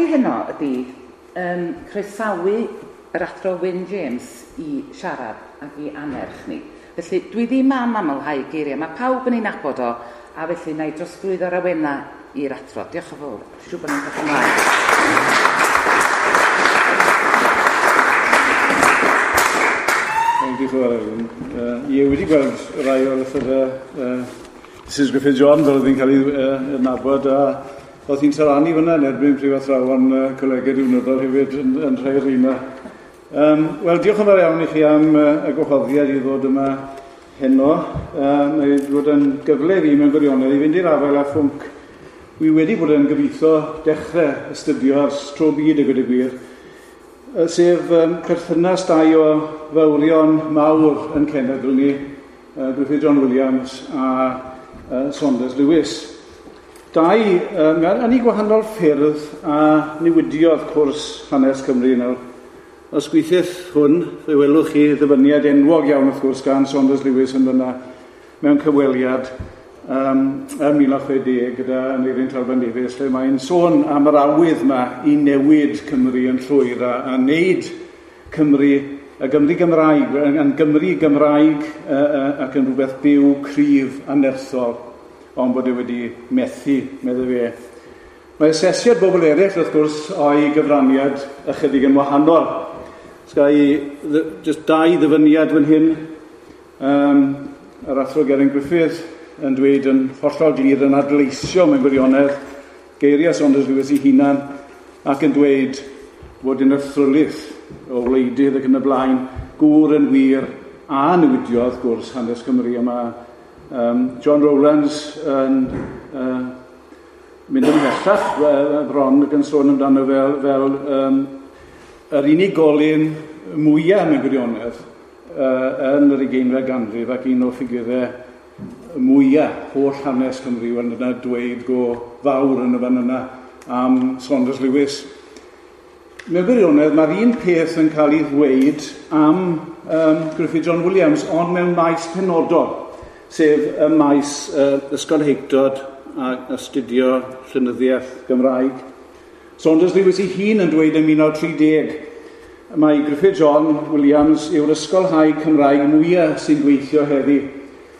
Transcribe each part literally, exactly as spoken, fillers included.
i heno ydy um, croesawu yr athro Wyn James i siarad ac i anerch ni. Felly dwi ddim am amlhau geiriau, mae pawb yn ei nabod o, a felly na i drosglwyddo'r awena i'r athro. Diolch yn fawr. Siŵr bod ni'n dod ymlaen. Diolch yn fawr, Elin. Uh, ie, wedi gweld rai o'r lythyrau uh, Missus Griffith John, fel oedd hi'n cael ei uh, nabod, a oedd hi'n taranu fyna yn erbyn prifathrawon uh, colegau diwnyddol hefyd yn, yn rhai o'r rheina. Um, Wel, diolch yn fawr iawn i chi am uh, y gwahoddiad i ddod yma heno. Uh, mae wedi bod yn gyfle i fi mewn gwirionedd i fynd i'r afael â phwnc wi wedi bod yn gobeithio dechrau astudio ers tro byd a gweud y gwir, sef um, perthynas dau o fawrion mawr yn cenedl ni, uh, Griffith John Williams a uh, Saunders Lewis. Dau, um, yn ei gwahanol ffyrdd a newidiodd cwrs hanes Cymru nawr. Os gweithiwch hwn, fe welwch chi ddyfyniad enwog iawn wrth gwrs gan Saunders Lewis yn fyna mewn cyfweliad um, ym mil naw chwe deg gyda Aneurin Talfan Davies, lle mae'n sôn am yr awydd yma i newid Cymru yn llwyr a, a wneud Cymru, y Gymru Gymraeg, yn Gymru Gymraeg uh, uh, ac yn rhywbeth byw, cryf a nerthol, ond bod e wedi methu, meddai fe. Mae asesiad bobl eraill, wrth gwrs, o'i gyfraniad ychydig yn wahanol. Sga i just dau ddyfyniad fan hyn. Um, yr athro Geraint Griffith yn dweud yn hollol glir yn adleisio mewn gwirionedd geiriau Saunders Lewis ei hunan ac yn dweud bod yn athrylith o wleidydd ac yn y blaen, gŵr yn wir a newidiodd gwrs hanes Cymru. A mae um, John Rowlands yn uh, mynd ymhellach bron ac yn sôn amdano fel, fel um, yr unigolyn mwyaf mewn gwirionedd uh, yn yr ugeinfed ganrif ac un o ffigurau mwyaf holl hanes Cymru, wel yna dweud go fawr yn y fan yna am Saunders Lewis. Mewn gwirionedd, mae'r un peth yn cael ei ddweud am um, Griffith John Williams, ond mewn maes penodol, sef y maes uh, ysgolheictod a astudio llenyddiaeth Gymraeg. Saunders Lewis ei hun yn dweud yn mil naw tri deg mae Griffith John Williams yw'r ysgolhaig Cymraeg mwyaf sy'n gweithio heddi.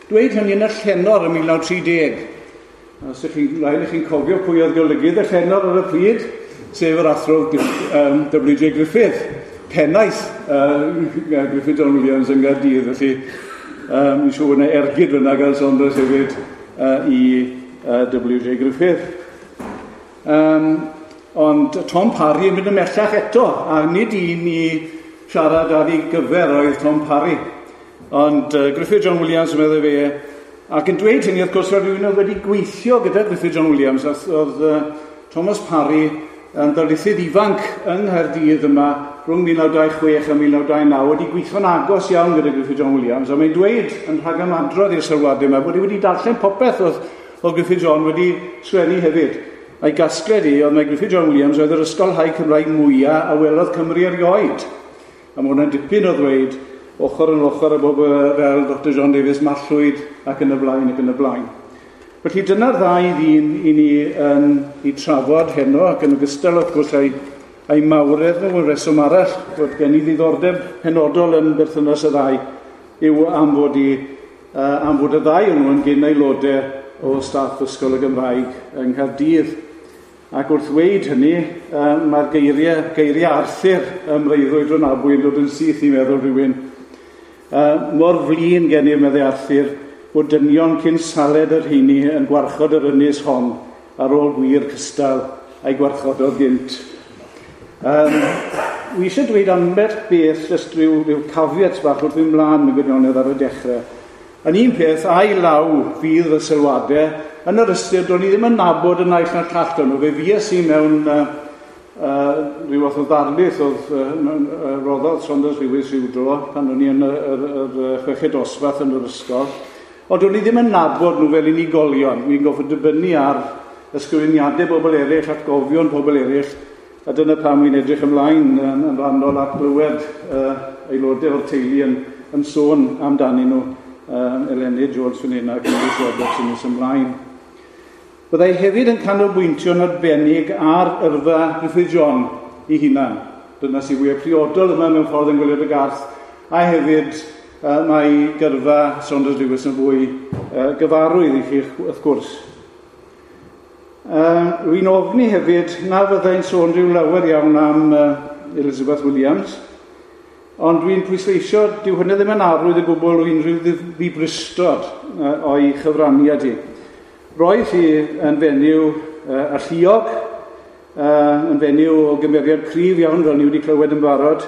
Dweud hynny yn y Llenor ym mil naw tri deg. Os ydych chi'n rhaid i chi'n cofio pwy oedd golygydd y Llenor ar y pryd, sef yr athro um, W J Griffith, pennaeth uh, Griffith John Williams yng Nghaerdydd. Felly, um, mi'n siŵr bod yna ergyd fyna gan Saunders hefyd uh, i uh, W J Griffith. Um, Ond Tom Parry yn mynd ymhellach eto, a nid un i siarad ar ei gyfer oedd Tom Parry. Ond uh, Griffith John Williams yn meddwl fe, ac yn dweud hynny, wrth gwrs, roedd rhywun oedd wedi gweithio gyda Griffith John Williams, oedd uh, Thomas Parry yn ddarlithydd ifanc yng Nghaerdydd yma rhwng mil naw dau chwech a mil naw dau naw, wedi gweithio'n agos iawn gyda Griffith John Williams, a mae'n dweud yn rhagymadrodd i'r sylwadau yma bod e wedi darllen popeth oedd, oedd Griffith John wedi sgwennu hefyd. A'i gasgliad i oedd mae Griffith John Williams oedd yr ysgolhaig Cymraeg mwyaf a welodd Cymru erioed. A mae hwnna'n dipyn o ddweud ochr yn ochr â bobl fel Doctor John Davies Mallwyd ac yn y blaen ac yn y blaen. Felly dyna'r ddau ddyn i ni yn i trafod heno, ac yn ogystal wrth gwrs a'i, a'i mawredd nhw yn reswm arall bod gen i ddiddordeb penodol yn berthynas y ddau yw am fod, i, uh, am fod y ddau o'n nhw yn gyn aelodau o staff Ysgol y Gymraeg yng Nghaerdydd. Ac wrth ddweud hynny, uh, mae'r geiriau, geiriau Arthur ym Mreuddwyd Rhonabwy yn dod yn syth i meddwl rhywun. Uh, mor flin gennym, meddai Arthur, bod dynion cyn saled yr rheini yn gwarchod yr ynys hon ar ôl gwir cystal a'i gwarchododd gynt. Um, wi eisiau dweud ambell beth, jyst rhyw, rhyw caveat bach wrth fynd mlaen mewn gwirionedd ar y dechrau. Yn un peth, a'i law fydd y sylwadau, yn yr ystyr, do'n i ddim yn nabod y naill na'r llall o'n nhw. Fe fues i mewn uh, uh, rhyw fath o ddarlith oedd uh, uh, roddodd Saunders Lewis rhyw dro pan o'n i yn y, yr, yr, yr chweched dosbarth yn yr ysgol. Ond do'n i ddim yn nabod nhw fel unigolion. Wi'n gorfod dibynnu ar ysgrifeniadau bobl eraill, atgofion pobl eraill, a dyna pam wi'n edrych ymlaen yn, yn rhannol at glywed uh, aelodau o'r teulu yn, yn sôn amdanyn nhw. Um, Eleni George fan hyn ac Lewis Roberts yn nes ymlaen. Byddai hefyd yn canolbwyntio'n arbennig ar yrfa Griffith John ei hunan. Dyna sy'n fwyaf priodol yma mewn ffordd yn Gwaelod y Garth, a hefyd uh, mae gyrfa Saunders Lewis yn fwy uh, gyfarwydd i chi, wrth gwrs. Uh, Rwy'n ofni hefyd na fyddai'n sôn rhyw lawer iawn am uh, Elizabeth Williams, ond dwi'n pwysleisio, dyw hynny ddim yn arwydd o gwbl o unrhyw ddibristod uh, o'i chyfraniad hi. Roedd hi yn fenyw uh, alluog, uh, yn fenyw o gymeriad cryf iawn, fel ni wedi clywed yn barod,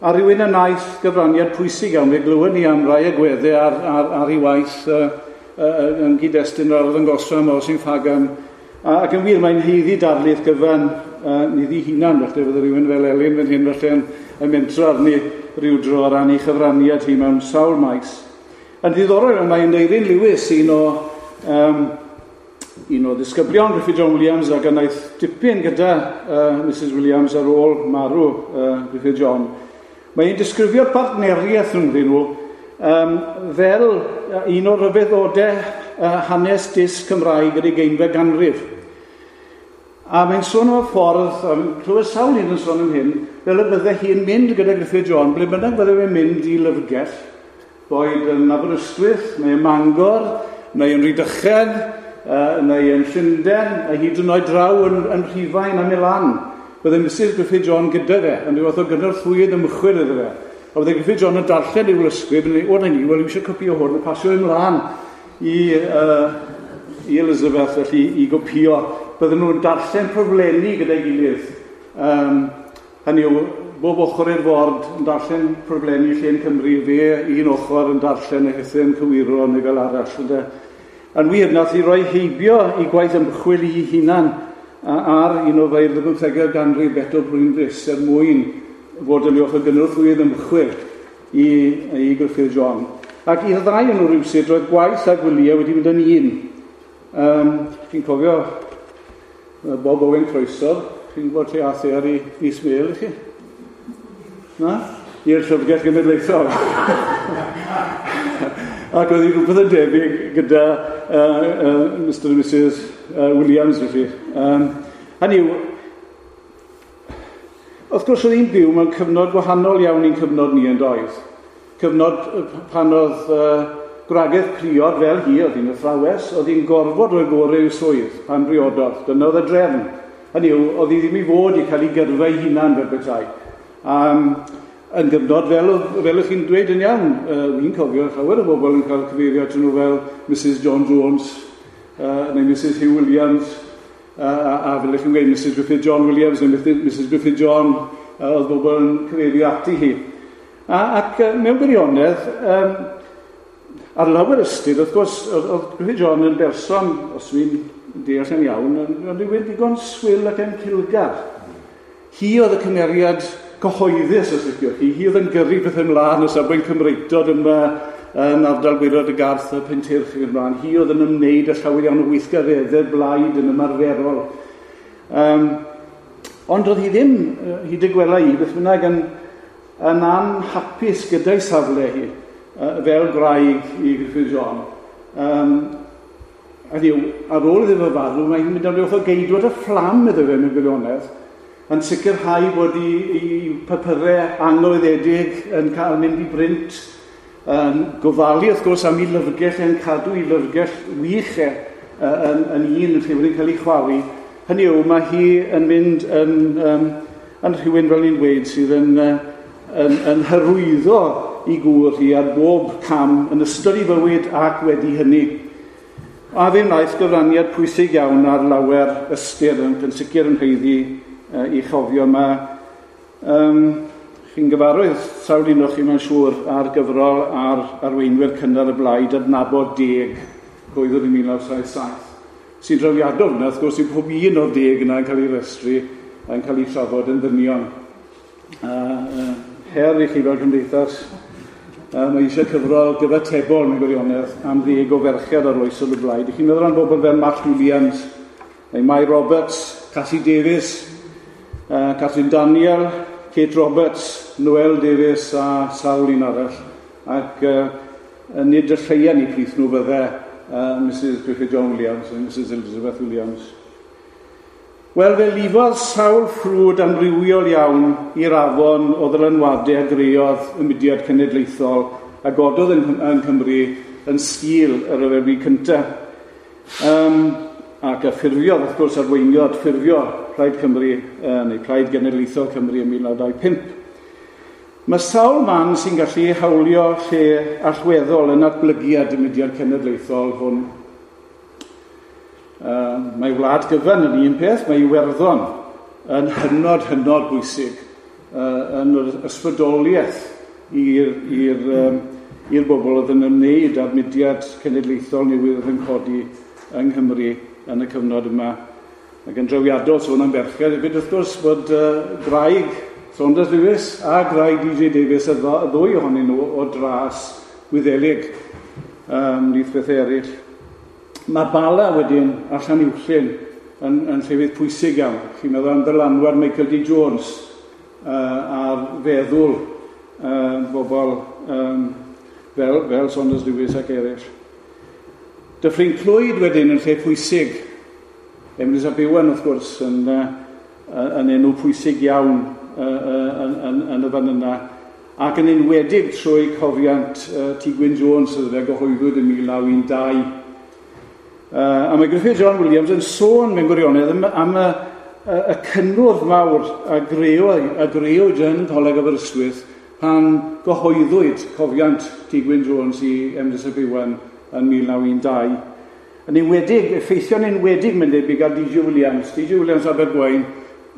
a rhywun yn wnaeth gyfraniad pwysig iawn. Fe glywed ni am rai agweddau ar, ar, ar ei waith uh, uh, yn gyd-destun yr arddangosfa yma o Sain Ffagan. A, ac yn wir, mae'n haeddu darlith gyfan uh, iddi hunan, felly fydde rhywun fel Elin fan hyn felly yn, yn mentro arni rhyw dro ar ran ei chyfraniad hi mewn sawl maes. Yn ddiddorol, mae Aneurin Lewis, un o, um, un o ddisgyblion Griffith John Williams, ac wnaeth dipyn gyda uh, Missus Williams ar ôl marw uh, Griffith John. Mae'n disgrifio'r partneriaeth rhyngddyn nhw um, fel un o'r rhyfeddodau uh, hanes dysg Cymraeg yr ugeinfed ganrif. A mae'n sôn am y ffordd, a clywed sawl un yn sôn am hyn, fel y bydde hi'n mynd gyda Griffith John, ble bynnag bydde fe'n mynd i lyfrgell, boed yn Aberystwyth, neu yn Mangor, neu yn Rhydychen, uh, neu yn Llundain, a hyd yn oed draw yn, yn Rhufain a Milan. Bydde Missus Griffith John gyda fe, yn rhyw fath o gynorthwyydd ymchwil iddo fe. A bydde Griffith John yn darllen ei lysgrif, yn dweud, o na ni, wel, eisiau copio hwn, a pasio ymlaen i, uh, i Elizabeth, felly, i gopio. Bydden nhw'n darllen proflenni gyda'i gilydd. Um, hynny yw, bob ochr i'r ford yn darllen proflenni Llên Cymru, fe un ochr yn darllen a hithau'n cywiro neu fel arall. Ynde. Yn wir, nath i roi heibio i gwaith ymchwil i hunan ar un o feirdd y bymthegau ganrif, Beto Brwynrhys, er mwyn fod yn ochr gynorthwyydd ymchwil i, i Griffith John. Ac i'r ddau yn nhw rhywsut, roedd gwaith a gwyliau wedi mynd yn un. Um, chi'n cofio Bob Owen Croesor, chi'n gwybod lle ath e ar ei fis mel i chi? Na? I'r Llyfrgell Genedlaethol. Ac oedd hi rhywbeth yn debyg gyda uh, uh, Mister and Missus Uh, Williams, felly. Um, hynny yw, wrth gwrs oedd hi'n byw mewn cyfnod gwahanol iawn i'n cyfnod ni yn doedd. Cyfnod pan oedd uh, gwragedd priod fel hi, oedd hi'n athrawes, oedd hi'n gorfod rhoi gorau i'w swydd pan briododd. Dyna oedd y drefn. Hynny yw, oedd hi ddim i fod i cael ei gyrfa ei hunan fel petai. Um, yn gyfnod, fel, fel ych chi'n dweud yn iawn, uh, fi'n cofio llawer o bobl yn cael cyfeirio atyn nhw fel Missus John Jones, uh, neu Missus Hugh Williams, uh, a, a fel ych chi'n gweud Missus Griffith John Williams, neu Missus Griffith John, uh, oedd bobl yn cyfeirio ati hi. A, ac uh, mewn gwirionedd, um, ar lawer ystyr, wrth gwrs, oedd, oedd Griffith John yn berson, os dwi'n deall yn iawn, yn, yn rhywun digon swil ac yn cilgar. Hi oedd y cymeriad cyhoeddus, os liciwch chi. Hi oedd yn gyrru pethau ymlaen o safbwynt Cymreictod yma yn ardal Gwaelod y Garth a Pentyrch ac ymlaen. Hi oedd yn ymwneud â llawer iawn o weithgareddau blaid yn ymarferol. Um, ond oedd hi ddim, hyd y gwela i, beth bynnag, yn, yn anhapus gyda'i safle hi, fel gwraig i Griffith John. Um, a yw, ar ôl iddo fe farw, mae hi'n mynd am ryw fath o geidwad y fflam iddo fe mewn gwirionedd, yn sicrhau bod i, i papurau anghyhoeddedig yn cael mynd i brint, yn gofalu wrth gwrs am ei lyfrgell, yn cadw ei lyfrgell wych e, yn, yn un yn lle wedi'n cael ei chwalu. Hynny yw, mae hi yn mynd yn, um, yn rhywun, fel ni'n dweud, sydd yn, yn, yn hyrwyddo i gŵr hi ar bob cam yn ystod ei fywyd ac wedi hynny. A fe wnaeth gyfraniad pwysig iawn ar lawer ystyr, yn, yn sicr yn haeddu i chofio. Mae um, chi'n gyfarwydd sawl un o chi mae'n siŵr ar gyfrol ar arweinwyr cynnar y blaid adnabod deg cyhoeddwyd yn mil naw saith saith. Sy'n drawiadol yna, wrth gwrs, yw pob un o'r deg yna yn cael ei restru yn cael ei trafod yn ddynion. Uh, uh, her i chi fel cymdeithas, uh, mae eisiau cyfrol gyfatebol mewn gwirionedd am ddeg o ferched arloesol y blaid. I chi'n meddwl am bobl fel Mark Williams, neu Mai Roberts, Cassie Davies, uh, Catherine Daniel, Kate Roberts, Noel Davies a sawl un arall. Ac uh, nid y lleia ni plith nhw fydde uh, Missus Griffith John Williams a Missus Elizabeth Williams. Wel, fe lifodd sawl ffrwd amrywiol iawn i'r afon o ddylanwadau a greodd y mudiad cenedlaethol a gododd yng, yng Nghymru yn sgil y Rhyfel Byd Cyntaf. Um, ac a ffurfiodd, wrth gwrs, arweiniodd ffurfio Plaid Cymru, uh, neu Plaid Genedlaethol Cymru ym mil naw dau pump. Mae sawl man sy'n gallu hawlio lle allweddol yn natblygiad y mudiad cenedlaethol hwn. Uh, mae wlad gyfan yn un peth, mae Iwerddon yn hynod, hynod bwysig uh, yn yr ysbrydoliaeth i'r, i'r, um, i'r bobl oedd yn ymwneud â'r mudiad cenedlaethol newydd oedd yn codi yng Nghymru yn y cyfnod yma. Ac yn drawiadol sôn am ferched hefyd, wrth gwrs, bod uh, gwraig Saunders Lewis a gwraig D J Davies, y ddwy ohonyn nhw o dras Wyddelig, um, ymhlith bethau eraill. Mae Bala wedyn a Llanuwchllyn yn, yn llefydd pwysig iawn. Chi'n meddwl am ddylanwad Michael D Jones uh, a'r feddwl uh, bobl um, fel, fel Saunders Lewis ac eraill. Dyffryn Clwyd wedyn yn lle pwysig. Emrys ap Iwan, wrth gwrs, yn, uh, yn enw pwysig iawn uh, uh, yn, yn, yn y fan yna. Ac yn enwedig trwy cofiant uh, T Gwyn Jones, sydd fe gyhoeddwyd yn mil naw un dau. Uh, a mae Griffith John Williams yn sôn mewn gwirionedd am, am y, y, y cynnwrf mawr a greodd, a greowyd yn Coleg Aberystwyth pan gyhoeddwyd cofiant T Gwyn Jones i Emrys ap Iwan yn mil naw un dau. Yn enwedig, effeithio'n enwedig mae'n debyg ar D J Williams. D J Williams Abergwaun,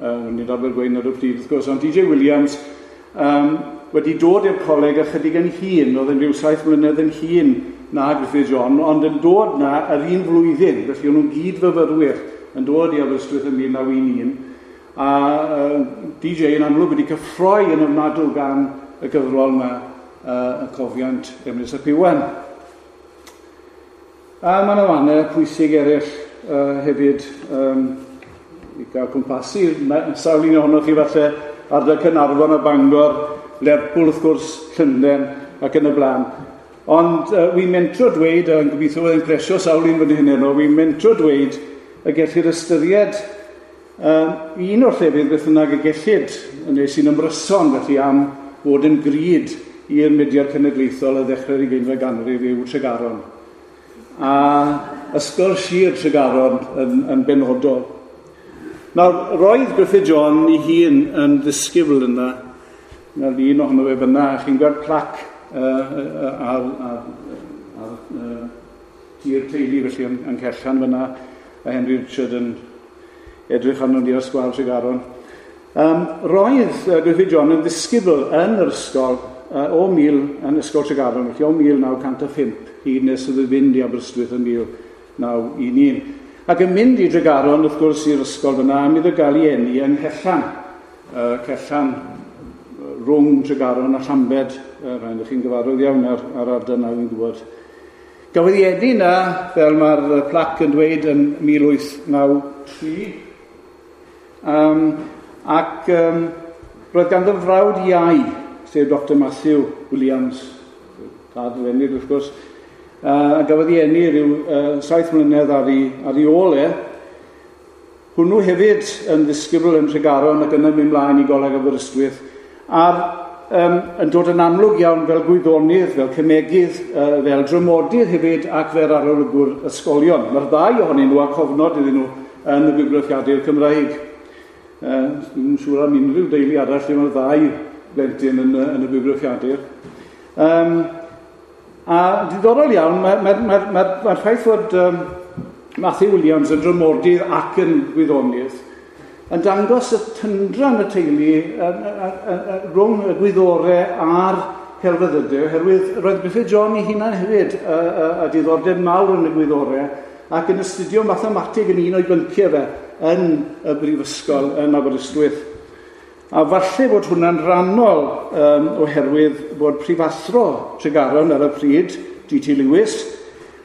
uh, nid Abergwaun ar y pryd wrth gwrs, ond D J Williams um, wedi dod i'r coleg ychydig yn hŷn, oedd yn rhyw saith mlynedd yn hŷn na Griffith John, ond yn dod na yr un flwyddyn, felly o'n nhw'n gyd-fyfyrwyr yn dod i Aberystwyth yn mil naw un un, a uh, D J yn amlwg wedi cyffroi yn ofnadw gan y gyfrol yma, uh, y cofiant Emrys ap Iwan. A mae yna fannau pwysig eraill uh, hefyd um, i gael cwmpasu. Sawl un ohonoch chi falle ardal Caernarfon a Bangor, Lerpwl wrth gwrs, Llundain ac yn y blaen. Ond uh, wi'n mentro dweud, a yn gobeithio bydd yn plesio sawl un fan hyn heno, wi'n mentro dweud y gellir ystyried um, un o'r llefydd beth bynnag y gellid, neu sy'n ymryson felly am fod yn gryd i'r mudiad cenedlaethol a ddechrau'r ugeinfed ganrif yw Tregaron. A Ysgol Sir Tregaron yn, yn benodol. Nawr, roedd Griffith John ei hun yn ddisgybl yna, na'r un ohono fe fyna, a chi'n gweld plac uh, ar, ar, ar uh, tir teulu felly yn, yn Cellan fyna, a Henry Richard yn edrych arno ni ar sgwâr Tregaron. Um, roedd uh, Griffith John yn ddisgybl yn yr ysgol uh, o mil, yn Ysgol Tregaron, felly o mil naw cant a phump hyd nes iddo fynd i Aberystwyth yn mil naw un un. Ac yn mynd i Tregaron, wrth gwrs, i'r ysgol fyna, am iddo gael ei eni yng Nghellan. Uh, Cellan rhwng Tregaron a Llambed, uh, rhaid chi'n gyfarwydd iawn ar, ar ardal na, fi'n gwybod. Gafodd ei eni na, fel mae'r plac yn dweud, yn mil wyth naw tri. Um, ac um, roedd ganddo frawd iau, sef Doctor Matthew Williams, tad yr enid wrth gwrs, uh, a gafodd ei eni rhyw uh, saith mlynedd ar ei, ar ei ôl e. Hwnnw hefyd yn ddisgybl yn Tregaron ac yna mynd mlaen i Goleg Aberystwyth, a'r um, yn dod yn amlwg iawn fel gwyddonydd, fel cemegydd, uh, fel dramodydd hefyd ac fel arolygwr ysgolion. Mae'r ddau ohonyn nhw a cofnod iddyn nhw yn y Bywgraffiadur Cymraeg. Uh, Dwi'n siŵr am unrhyw deulu arall lle mae'r ddau blentyn yn, yn y Bywgraffiadur. Um, a diddorol iawn, mae'r mae, mae, mae, mae ffaith fod um, Matthew Williams yn dramodydd ac yn gwyddonydd yn dangos y tyndra yn y teulu rhwng y gwyddorau a'r celfyddydau, oherwydd roedd Griffith John ei hunan hefyd a, a, a diddordeb mawr yn y gwyddorau ac yn astudio mathemateg yn un o'i bynciau fe yn y brifysgol yn Aberystwyth. A falle bod hwnna'n rhannol um, oherwydd bod prifathro Tregaron ar y pryd, D T Lewis,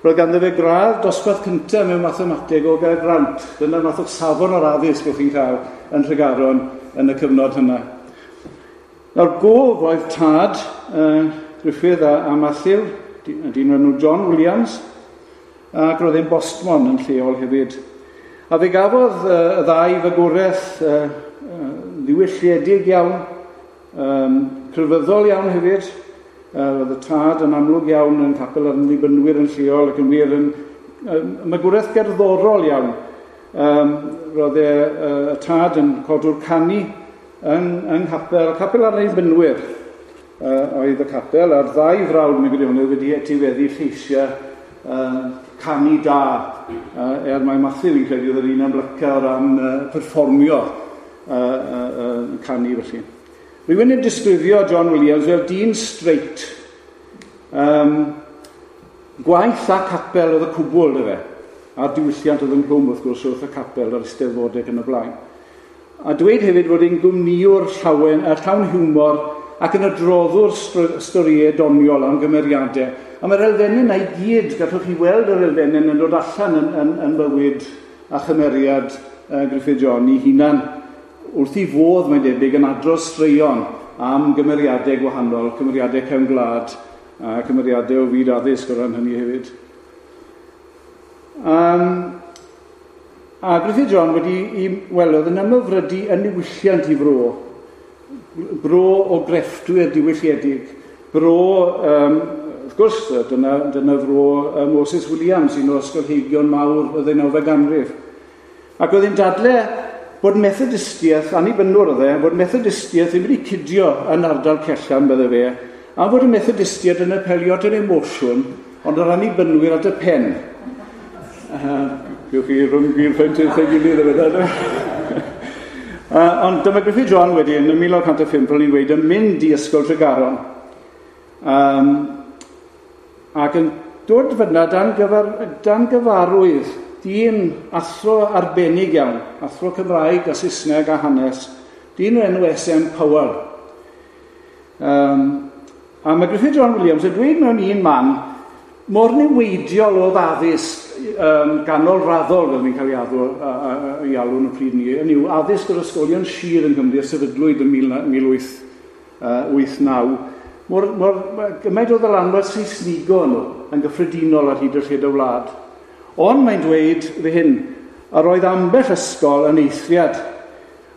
roedd ganddo fe gradd dosbarth cyntaf mewn mathemateg o Gaergrawnt. Dyna'r math o safon o'r addysg o'ch chi'n cael yn Tregaron yn y cyfnod hynna. Nawr, gof oedd tad uh, Griffith a, a Matthew, dyn enw John Williams, ac roedd e'n bostmon yn lleol hefyd. A fe gafodd uh, y ddau fagwraeth uh, uh, ddiwylliedig iawn, um, crefyddol iawn hefyd. Uh, roedd y tad yn amlwg iawn yn capel yr Annibynwyr yn lleol ac yn wir yn uh, magwraeth gerddorol iawn. Um, roedd e, uh, y tad yn codwr canu yn, yng nghapel, capel yr Annibynwyr uh, oedd y capel, a'r ddau frawd mewn gwirionedd wedi etifeddu lleisiau uh, canu da, uh, er mai Matthew fi'n credu oedd yr un amlyca o ran uh, perfformio uh, uh, uh, canu felly. Rhywun yn disgrifio John Williams fel dyn straight. Um, gwaith a capel oedd y cwbl, dy fe. A'r diwylliant oedd ynghlwm wrth gwrs wrth y capel a'r eisteddfodau ac yn y blaen. A dweud hefyd fod e'n gwmnïwr llawen, a llawn hiwmor ac yn adroddwr storïau doniol am gymeriadau. A mae'r elfennau yna i gyd, gallwch chi weld yr elfennau yn dod allan yn, yn, yn bywyd a chymeriad uh, Gruffydd John ei hunan. Wrth i fodd, mae'n debyg, yn adrodd straeon am gymeriadau gwahanol, cymeriadau cefn gwlad a cymeriadau o fyd addysg o ran hynny hefyd. Um, a Gruffydd John wedi, i, wel, oedd yn ymhyfrydu yn niwylliant i fro, bro o grefftwyr diwylliedig, bro, um, wrth gwrs, dyna, dyna fro um, Moses Williams, un o ysgolheigion mawr y ddeunawfed ganrif. Ac oedd hi'n dadle bod Methodistiaeth, annibynnwr oedd e, bod Methodistiaeth ddim wedi cydio yn ardal Cellan, bydde fe, a bod y Methodistiaid yn apelio at yr emosiwn, ond yr annibynwyr at y pen. Uh, Gewch chi rhwng gwir pwynt wrth ei gilydd efo. Uh, ond dyma Gruffydd John wedyn, yn mil naw cant a phump, fel ni'n dweud, yn mynd i Ysgol Tregaron. Um, ac yn dod fyna dan, gyfar, dan gyfarwydd dyn athro arbennig iawn, athro Cymraeg a Saesneg a hanes, dyn o'r enw S M Powell. Um, a mae Gruffydd John Williams yn dweud mewn un man, mor niweidiol oedd addysg um, ganolraddol, fel ni'n cael ei addo, a, a, a, ei alw yn y pryd ni, yn yw addysg yr ysgolion sir yng Nghymru a sefydlwyd yn mil wyth wyth naw, mor, mor gymaint o ddylanwad Saesnigo nhw yn gyffredinol ar hyd y lled y wlad. Ond mae'n dweud fy hyn, yr oedd ambell ysgol yn eithriad,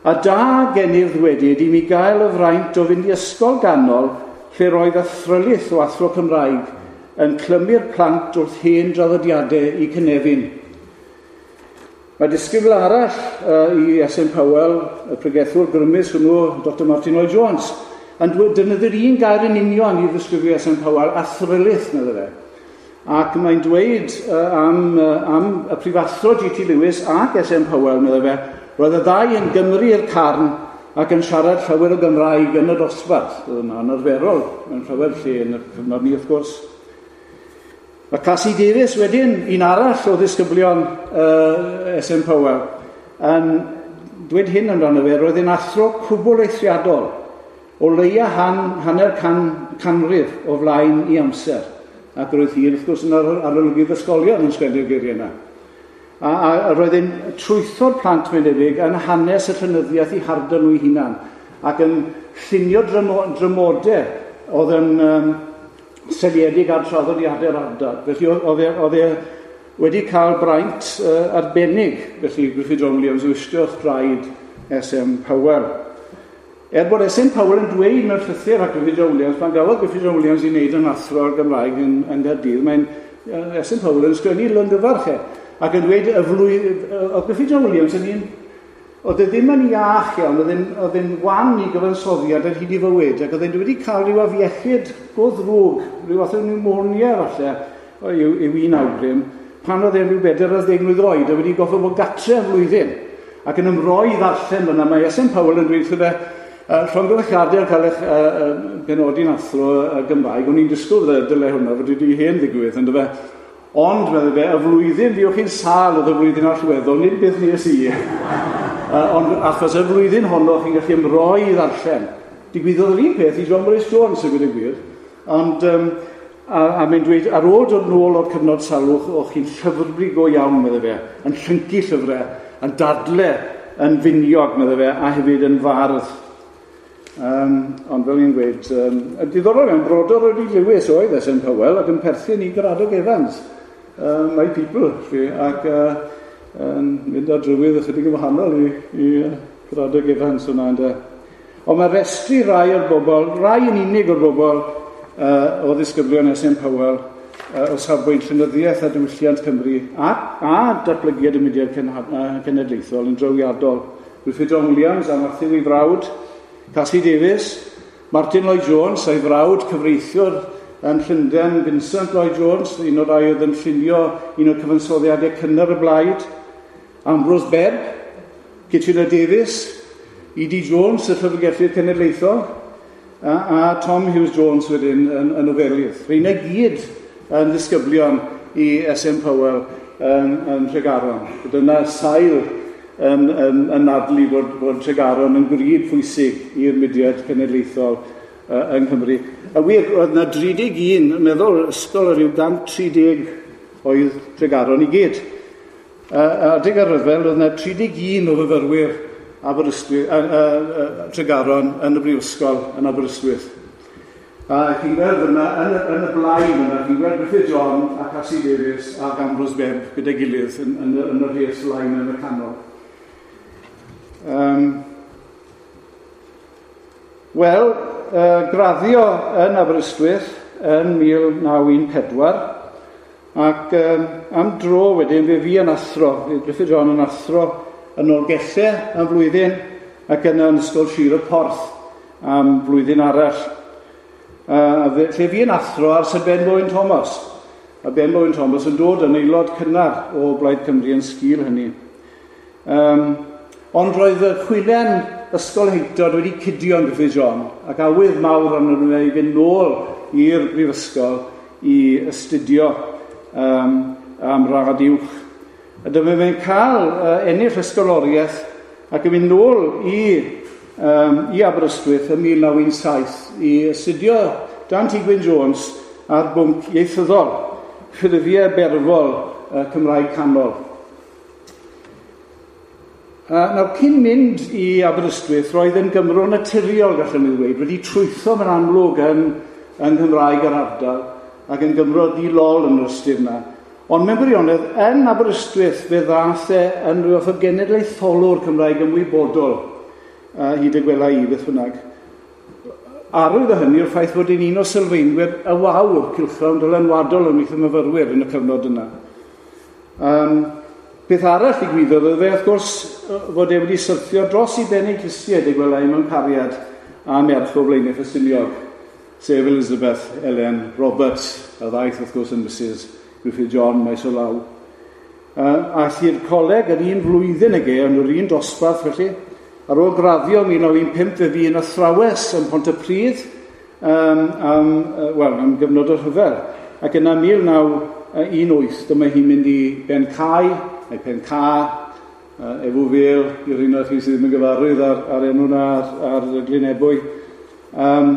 a da gennyf ddwedyd i mi gael y fraint o fynd i ysgol ganol lle roedd athrylith o athro Cymraeg yn clymu'r plant wrth hen draddodiadau i cynefin. Mae disgybl arall uh, i S M Powell, y pregethwr grymus hwnnw, Doctor Martin Lloyd Jones, yn defnyddio'r un gair yn union i ddisgrifio S M Powell, athrylith, medde fe. Ac mae'n dweud uh, am, uh, am y prifathro G T Lewis ac S M Powell, medde fe, roedd y ddau yn Gymru i'r carn ac yn siarad llawer o Gymraeg yn y dosbarth. Oedd yna'n arferol mewn llawer lle yn y cyfnod ni, wrth gwrs. Mae Cassie Davies wedyn, un arall o ddisgyblion uh, S M Powell, yn dweud hyn amdano fe, roedd yn athro cwbl eithriadol, o leia han, hanner can, canrif o flaen i amser. Ac roedd hi, wrth gwrs, yn arolygydd ysgolion yn sgwennu'r geiriau yna. A, a, a roedd hi'n trwytho'r plant, mae'n debyg, yn hanes y llenyddiaeth i harddon nhw eu hunan, ac yn llunio drymo, drymodau oedd yn um, seliedig ar traddodiadau'r ardal. Felly oedd e, oedd e wedi cael braint uh, arbennig, felly Gruffydd John Williams o istio wrth draed S M Powell. Er bod S M Powell yn dweud mewn llythyr at Gruffydd John Williams, pan gafodd Gruffydd John Williams i wneud yn athro ar Gymraeg yn, yn Gaerdydd, mae'n uh, S M Powell yn sgwennu longyfarch e, ac yn dweud y flwydd, oedd Gruffydd John Williams yn un, oedd e ddim yn iach iawn, oedd e'n, oedd e'n wan i gyfansoddiad ar hyd i fywyd, ac oedd e'n wedi cael rhyw afiechyd go ddrwg, rhyw fath o pneumonia falle, yw, yw un awgrym, pan oedd e'n rhyw bedair ar ddeg mlwydd oed, a wedi goffo bod gatre am flwyddyn, ac yn ymroi ddarllen fyna, mae S M Powell yn dweud wrtho fe, uh, llongyfarchiadau yn cael eich uh, uh, benodi'n athro uh, Gymraeg, o'n i'n disgwyl dde, dyle hwnna, fod wedi hen ddigwydd, ynddo fe. Ond, meddai fe, y flwyddyn fuoch chi'n sâl oedd y flwyddyn allweddol, nid beth nes i. Uh, ond achos y flwyddyn honno chi'n gallu ymroi i ddarllen. Digwyddodd yr un peth i John Morris Jones, y gwir y gwir. Ond, um, a, a mae'n dweud, ar ôl dod nôl o'r cyfnod salwch, o'ch chi'n llyfrblu go iawn, meddai fe, yn llyncu llyfrau, yn dadle, yn finiog, meddai fe, a hefyd yn fardd. Um, ond fel ni'n dweud, um, y diddorol iawn, brodor Eddie Lewis oedd S M Powell ac yn perthyn i Gradog Evans. uh, my people, chi, ac uh, yn mynd ar drywydd ychydig yn wahanol i, i uh, Caradog Evans hwnna, ynde. Ond mae restru rai o'r bobl, rai yn unig o'r bobl uh, o ddisgyblion S M Powell, uh, o safbwynt llenyddiaeth a diwylliant Cymru a, a datblygiad y mudiad cenedlaethol yn drawiadol. Gruffydd John Williams a Matthew ei frawd, Cassie Davies, Martin Lloyd Jones a'i frawd cyfreithiwr yn Llundain, Vincent Lloyd Jones, un o'r rai oedd yn llunio un o'r cyfansoddiadau cynnar y blaid, Ambrose Bebb, Kitchener Davies, E D Jones, y Llyfrgellydd Cenedlaethol, a, a Tom Hughes Jones wedyn yn, yn nofelydd. Rheina gyd yn ddisgyblion i S M Powell yn, yn Tregaron. Dyna sail yn, yn, yn nadlu bod, bod Tregaron yn gryd pwysig i'r mudiad cenedlaethol uh, yng Nghymru. A wir, oedd yna dri deg un, meddwl, ysgol o ryw cant tri deg oedd Tregaron i gyd. Uh, adeg ar ryfel, oedd yna tri deg un o fyfyrwyr Aberystwyth, uh, uh, uh, Tregaron yn y Brifysgol yn Aberystwyth. A chi'n gweld yna, yn, yn y blaen yna, chi'n gweld Gruffydd John a Cassie Davies ac Ambrose Bebb gyda'i gilydd yn, yn, yn y rhes lain yn y canol. Um, Wel, uh, graddio yn Aberystwyth yn mil naw un pedwar, ac um, am dro wedyn fe fi yn athro, fe Gruffydd John yn athro yn Nolgellau am flwyddyn ac yna yn Ysgol Sir y Porth am flwyddyn arall. Uh, lle fi yn athro ar Sir Ben Bowen Thomas. A Ben Bowen Thomas yn dod yn aelod cynnar o Blaid Cymru yn sgil hynny. Um, ond roedd y chwilen ysgolheictod wedi cudio'n Gruffydd John ac awydd mawr arno nhw i fynd nôl i'r brifysgol i astudio um, am radd uwch. A dyma fe'n cael uh, ennill ysgoloriaeth ac yn mynd nôl i, um, i Aberystwyth ym mil naw un saith i astudio dan T Gwyn Jones ar bwnc ieithyddol, ffurfiau berfol uh, Cymraeg Canol. Uh, nawr, cyn mynd i Aberystwyth, roedd yn Gymro naturiol, gallwn ni ddweud, wedi trwytho mewn amlwg yn, yn Nghymraeg yr ardal ac yn Gymro di-lol yn yr ystyr yna. Ond mewn gwirionedd, yn Aberystwyth fe ddaeth e yn rhyw fath o genedlaetholwr Cymraeg ymwybodol, uh, hyd y gwela i beth bynnag. Arwydd o hynny yw'r ffaith fod e'n un o sylfaenwyr y Wawr, cylchgrawn dylanwadol ymhlith y myfyrwyr yn y cyfnod yna. Um, beth arall ddigwyddodd oedd fe, wrth gwrs, fod e wedi syrthio dros i ben ei clustiau, y gwela i mewn cariad a merch o Blaenau Ffestiniog, sef Elizabeth Ellen Roberts, a ddaeth wrth gwrs yn Missus Gruffydd John maes o law. Uh, aeth i'r coleg yn un flwyddyn ag e, yn yr un dosbarth felly. Ar ôl graddio mil naw un pump fe fu yn athrawes yn Pontypridd um, am, uh, well, am gyfnod o'r rhyfel. Ac yna mil naw un wyth, dyma hi'n mynd i Ben Cae, neu Pen Ca, uh, Efw Fel, i'r un o'r chi sydd ddim yn gyfarwydd ar, ar enw na ar, ar Glyn Ebwy. Um,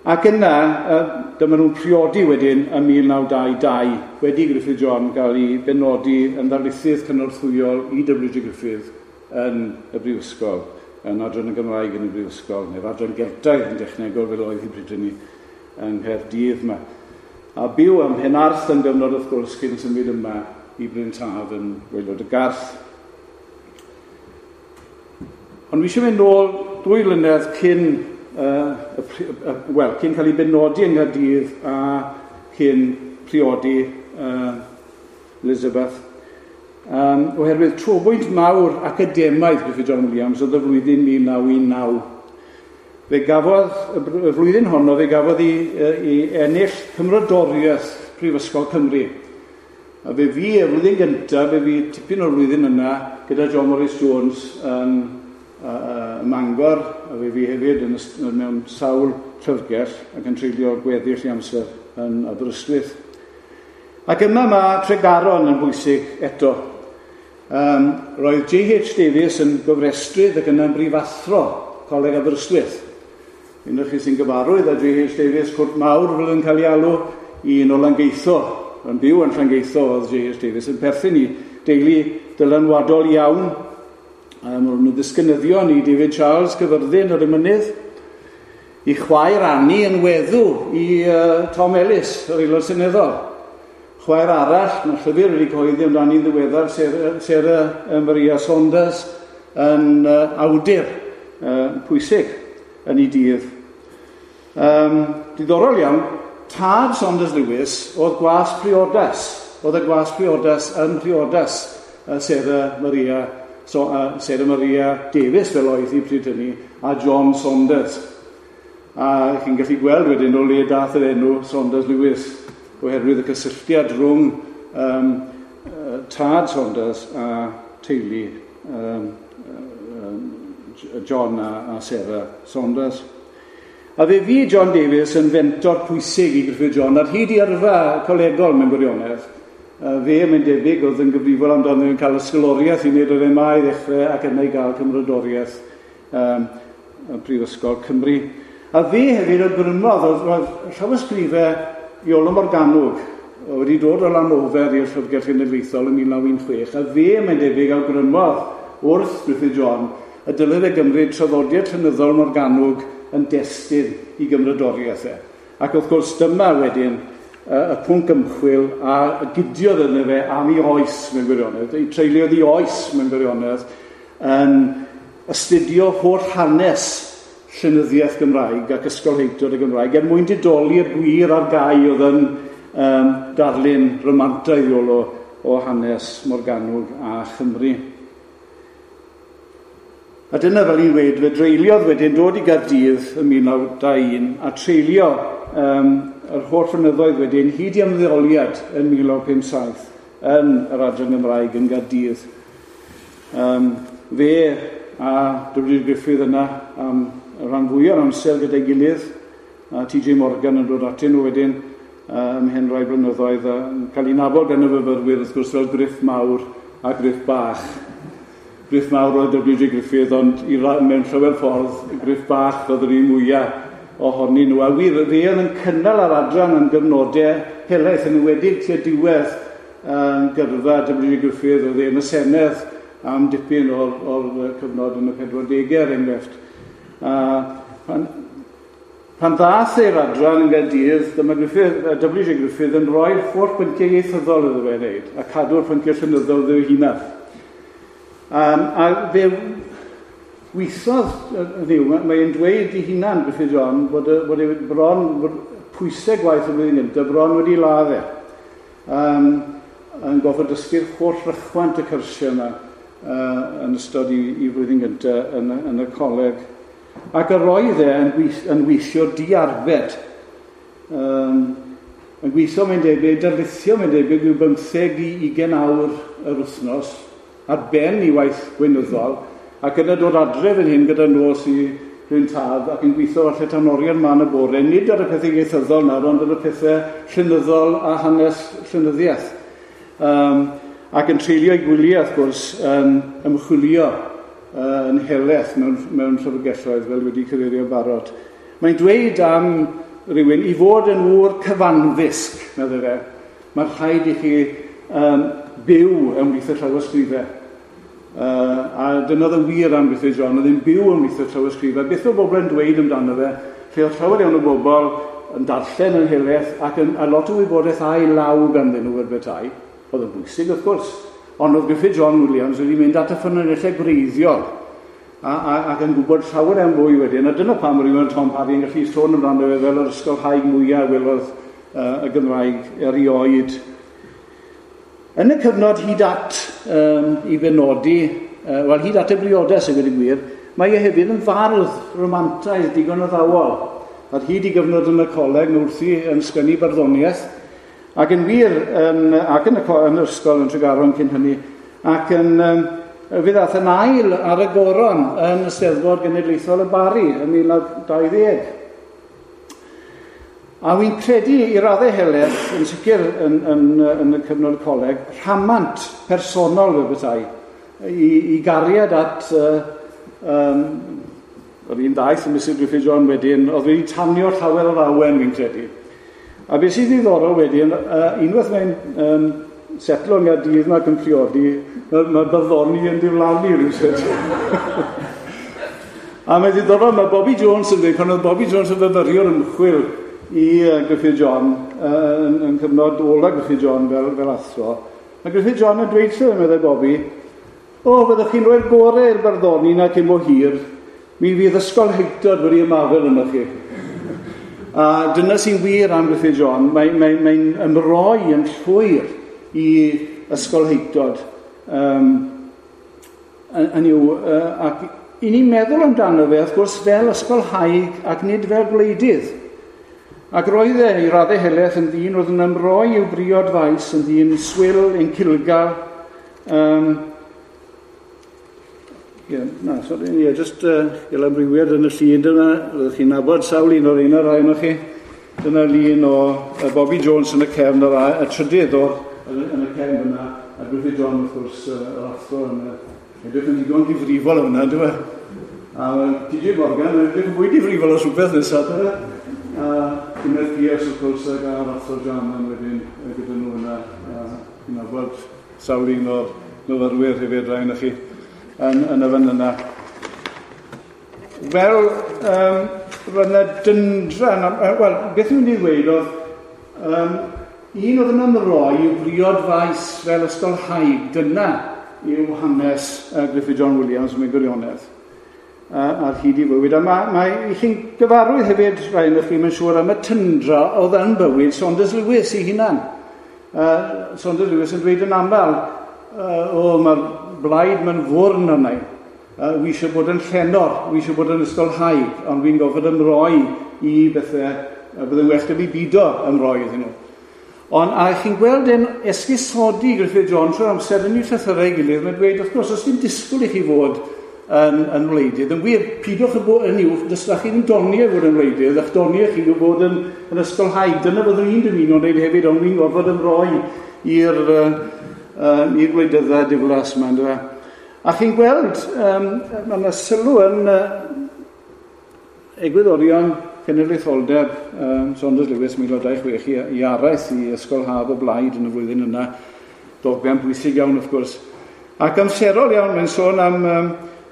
ac yna, uh, dyma nhw'n priodi wedyn ym mil naw dau dau, wedi Gruffydd John gael ei benodi yn ddarlithydd cynorthwyol i W J Gruffydd yn y Brifysgol, yn adran y Gymraeg yn y Brifysgol, neu'r adran Geltaidd yn dechnegol fel oedd hi bryd hynny yng Nghaerdydd yma. A byw ym Mhenarth yn gyfnod wrth gwrs cyn symud yma i Bryn Taf yn Waelod y Garth. Ond fi eisiau mynd nôl dwy flynedd cyn, uh, y, uh, well, cyn cael ei benodi yng Nghaerdydd a cyn priodi uh, Elizabeth. Um, oherwydd trobwynt mawr academaidd Gruffydd John Williams oedd y flwyddyn mil naw un naw. Fe gafodd, y flwyddyn honno, fe gafodd ei, ei ennill Cymrodoriaeth Prifysgol Cymru. A fe fi, y flwyddyn gyntaf, fe fi tipyn o'r flwyddyn yna gyda John Morris Jones yn uh, Mangor, a fe fi hefyd yn, mewn sawl llyfrgell ac yn treulio gweddill i amser yn Aberystwyth. Ac yma mae Tregaron yn bwysig eto. Um, roedd J H Davies yn gofrestrydd ac yna'n brifathro Coleg Aberystwyth. Un o'r chi sy'n gyfarwydd â J H Davies, cwrt mawr fel yn cael ei alw, un o Langeitho, yn byw yn Llangeitho oedd J H Davies, yn perthyn i deulu dylanwadol iawn. Um, Roedd nhw ddisgynyddion i David Charles Cyfyrddin ar y mynydd, i chwaer Annie yn weddw i uh, Tom Ellis, yr aelod seneddol. Chwaer arall, mae llyfr wedi cyhoeddi amdani'n ddiweddar, Sarah, Sarah Maria Saunders, yn uh, awdur uh, pwysig yn ei dydd. Um, diddorol iawn, tad Saunders Lewis oedd gwas priodas. Oedd y gwas priodas yn priodas uh, Sarah Maria, so, uh, Sarah Maria Davies fel oedd hi pryd hynny, a John Saunders. A chi'n gallu gweld wedyn o le dath yr enw Saunders Lewis, oherwydd y cysylltiad rhwng um, uh, tad Saunders a teulu um, John a, a Sarah Saunders. A fe fu John Davies yn fentor pwysig i Gruffydd John ar hyd i yrfa colegol mewn gwirionedd. Fe, mae'n debyg, oedd yn gyfrifol amdano yn cael ysgoloriaeth i wneud yr M A i ddechrau ac yna i gael cymrodoriaeth um, Prifysgol Cymru. A fe hefyd awgrymodd, oedd, oedd llawysgrifau Iolo Morganwg wedi dod o Lanofer i'r Llyfrgell Genedlaethol yn mil naw un chwech, a fe, mae'n debyg, awgrymodd wrth Gruffydd John y dylai fe gymryd traddodiad llenyddol Morganwg yn destun i gymrodoriaeth e. Ac wrth gwrs dyma wedyn y pwnc ymchwil a gydiodd yno fe am ei oes mewn gwirionedd, ei treuliodd ei oes mewn gwirionedd yn astudio holl hanes llenyddiaeth Gymraeg ac ysgolheictod y Gymraeg er mwyn didoli'r gwir ar gau oedd yn um, darlun romantaidd Iolo o hanes Morgannwg a Chymru. A dyna fel i'n weud, fe dreuliodd wedyn dod i Gaerdydd ym mil naw dau un a treulio um, yr holl flynyddoedd wedyn hyd i ymddeoliad yn mil naw pum saith yn yr Adran Gymraeg yn Gaerdydd. Um, fe a W D Griffith yna am y rhan fwyaf o'r amser gyda'i gilydd, a T J Morgan yn dod atyn nhw wedyn ymhen rai blynyddoedd, a cael ei nabod gan y fyfyrwyr wrth gwrs fel Griff Mawr a Griff Bach. Griff Mawr oedd W J Griffith, ond i ra- mewn llawer ffordd, Griff Bach oedd yr un mwyaf ohonyn nhw. A wir, fe oedd yn cynnal yr adran am gyfnodau helaeth, yn enwedig tua diwedd um, gyrfa W J Griffith, oedd e yn y Senedd am dipyn o'r, o'r cyfnod yn y pedwardegau, er enghraifft. A pan, pan ddath e'r adran yn Gaerdydd, dyma Griffith, W J Griffith yn rhoi'r holl bynciau ieithyddol iddo fe wneud, a cadw'r pynciau llenyddol iddo ei hunan. Um, a fe weithodd, ddiw, mae'n dweud i hunan, Gruffydd John, bod, bod e bron, bod pwysau gwaith y flwyddyn gyntaf bron wedi ladd e. Um, yn gorfod dysgu'r holl rychwant y cyrsiau yma uh, yn ystod i, i flwyddyn gyntaf yn, yn y coleg. Ac yr oedd e yn, gweith, yn weithio diarbed. Um, yn gweithio, mae'n debyg, darlithio, mae'n debyg, yw bymtheg i ugain awr yr wythnos, ar ben i waith gweinyddol, ac yna dod adre fan hyn gyda nos i rhywun tad, ac yn gweithio falle tan oriau'r man y bore, nid ar y pethau ieithyddol nawr, ond ar y pethau llenyddol a hanes llenyddiaeth. Um, ac yn treulio ei gwyliau, wrth gwrs, yn ymchwilio uh, yn helaeth mewn, mewn llyfrgelloedd, fel wedi cyfeirio barod. Mae'n dweud am rhywun i fod yn ŵr cyfanddysg, meddai fe, mae'n rhaid i chi um, byw ymhlith y llawysgrifau. Uh, a dyna oedd yn wir am Gruffydd John, oedd yn byw ymhlith y llawysgrifau. Beth oedd bobl yn dweud amdano fe, lle oedd llawer iawn o bobl yn darllen yn helaeth ac yn, a lot o wybodaeth a'i law ganddyn nhw er bethau. Oedd yn bwysig, wrth gwrs. Ond oedd Gruffydd John Williams wedi mynd at y ffynonellau gwreiddiol a, a, ac yn gwybod llawer iawn fwy wedyn. A dyna pam rhywun Tom Parry yn gallu sôn amdano fe fel yr ysgolhaig mwyaf welodd uh, y Gymraeg erioed. Yn y cyfnod hyd at um, i benodi, uh, wel hyd at y briodas i gweud y gwir, mae e hefyd yn fardd romantaidd digon addawol. Ar hyd i gyfnod yn y coleg, mae wrthi yn sgwennu barddoniaeth, ac yn wir, yn, ac yn y, yn yr ysgol yn Tregaron cyn hynny, ac yn, um, fe ddaeth yn ail ar y goron yn Eisteddfod Genedlaethol y Barri yn mil naw dau ddeg. A wy'n credu i raddau helaeth, yn sicr yn, yn, yn y cyfnod coleg, rhamant personol fe bethau, i, i gariad at uh, um, yr un daith y Missus Gruffydd John wedyn, oedd wedi tanio llawer o'r awen fi'n credu. A beth sydd ddiddorol wedyn, uh, unwaith mae'n um, setlo yng Nghaerdydd yma ac yn priodi, mae, mae barddoni yn diflannu rhywsut. A mae'n ddiddorol, mae Bobby Jones yn dweud, pan oedd Bobby Jones yn fyfyriwr ymchwil i uh, Gruffydd John, uh, yn, yn cyfnod ola Gruffydd John fel, fel athro. Mae Gruffydd John yn dweud lle, meddai Bobby, o, fyddwch chi'n rhoi'r gorau i'r barddoni na cyn bo hir, mi fydd ysgolheictod wedi ymafel yno chi. A dyna sy'n wir am Gruffydd John, mae'n mae, mae ymroi yn llwyr i ysgolheictod. Um, yn yw, uh, ac i ni'n meddwl amdano fe, wrth gwrs, fel ysgolhaig ac nid fel gwleidydd. Ac roedd e i raddau helaeth yn ddyn oedd yn ymroi i'w briod faes, yn ddyn swil, yn cilgar. Um, yeah, na, sorry, yeah, just uh, gael amrywiad yn y llun dyna, roeddech chi'n nabod sawl un o'r un o'r rhai ohonoch chi. Dyna lun o uh, Bobby Jones yn y cefn, yr, y trydydd o'r yn, yn y cefn yna, a Gruffydd John wrth gwrs, uh, yr athro yn y edrych yn ddigon difrifol yna, dwi'n e? A T J Morgan yn edrych yn fwy difrifol os rhywbeth nesaf, dwi'n e? A Gwyneth Pierce, wrth gwrs, ac a'r athro Jarman wedyn gyda nhw yna. A fi'n nabod sawl un o'r myfyrwyr hefyd, rai ohonoch chi, yn, yn y fan yna. Wel, um, roedd yna dyndra, wel, beth dwi'n mynd i ddweud oedd, um, un oedd yn ymroi i'w briod faes fel ysgolhaig, dyna yw hanes uh, Gruffydd John Williams mewn gwirionedd uh, ar hyd i fywyd. A mae, mae i chi'n gyfarwydd hefyd, rai ohonoch chi, mae'n siŵr, am y tyndra oedd yn bywyd Saunders Lewis ei hunan. Uh, Saunders Lewis yn dweud yn aml, uh, o, mae'r blaid mae'n fwrn arna i. Uh, wi eisiau bod yn llenor, wi eisiau bod yn ysgolhaig, ond fi'n gorfod ymroi i bethau, uh, byddai'n well da fi bido ymroi iddyn nhw. Ond, a chi'n gweld e'n esgusodi Gruffydd John trwy'r amser yn ei llythyrau ei gilydd, mae'n dweud, wrth gwrs, os dim disgwyl i chi fod yn, yn wleidydd, yn wir, pidwch y bod yn uwch, dysgwch chi ddim doniau fod yn wleidydd, a'ch doniau chi yw bod yn, yn ysgolhaig. Dyna fyddwn i'n dymuno wneud hefyd, ond fi'n gorfod ymroi i'r uh, uh, i'r gwleidydda diflas yma, yndyfe. A chi'n gweld, um, mae yna sylw yn uh, egwyddorion cenedlaetholdeb um, Saunders Lewis mil naw dau chwech i, i araith i Ysgol Haf y Blaid yn y flwyddyn yna, dogfen bwysig iawn wrth gwrs. Ac amserol iawn, mae'n sôn am, um,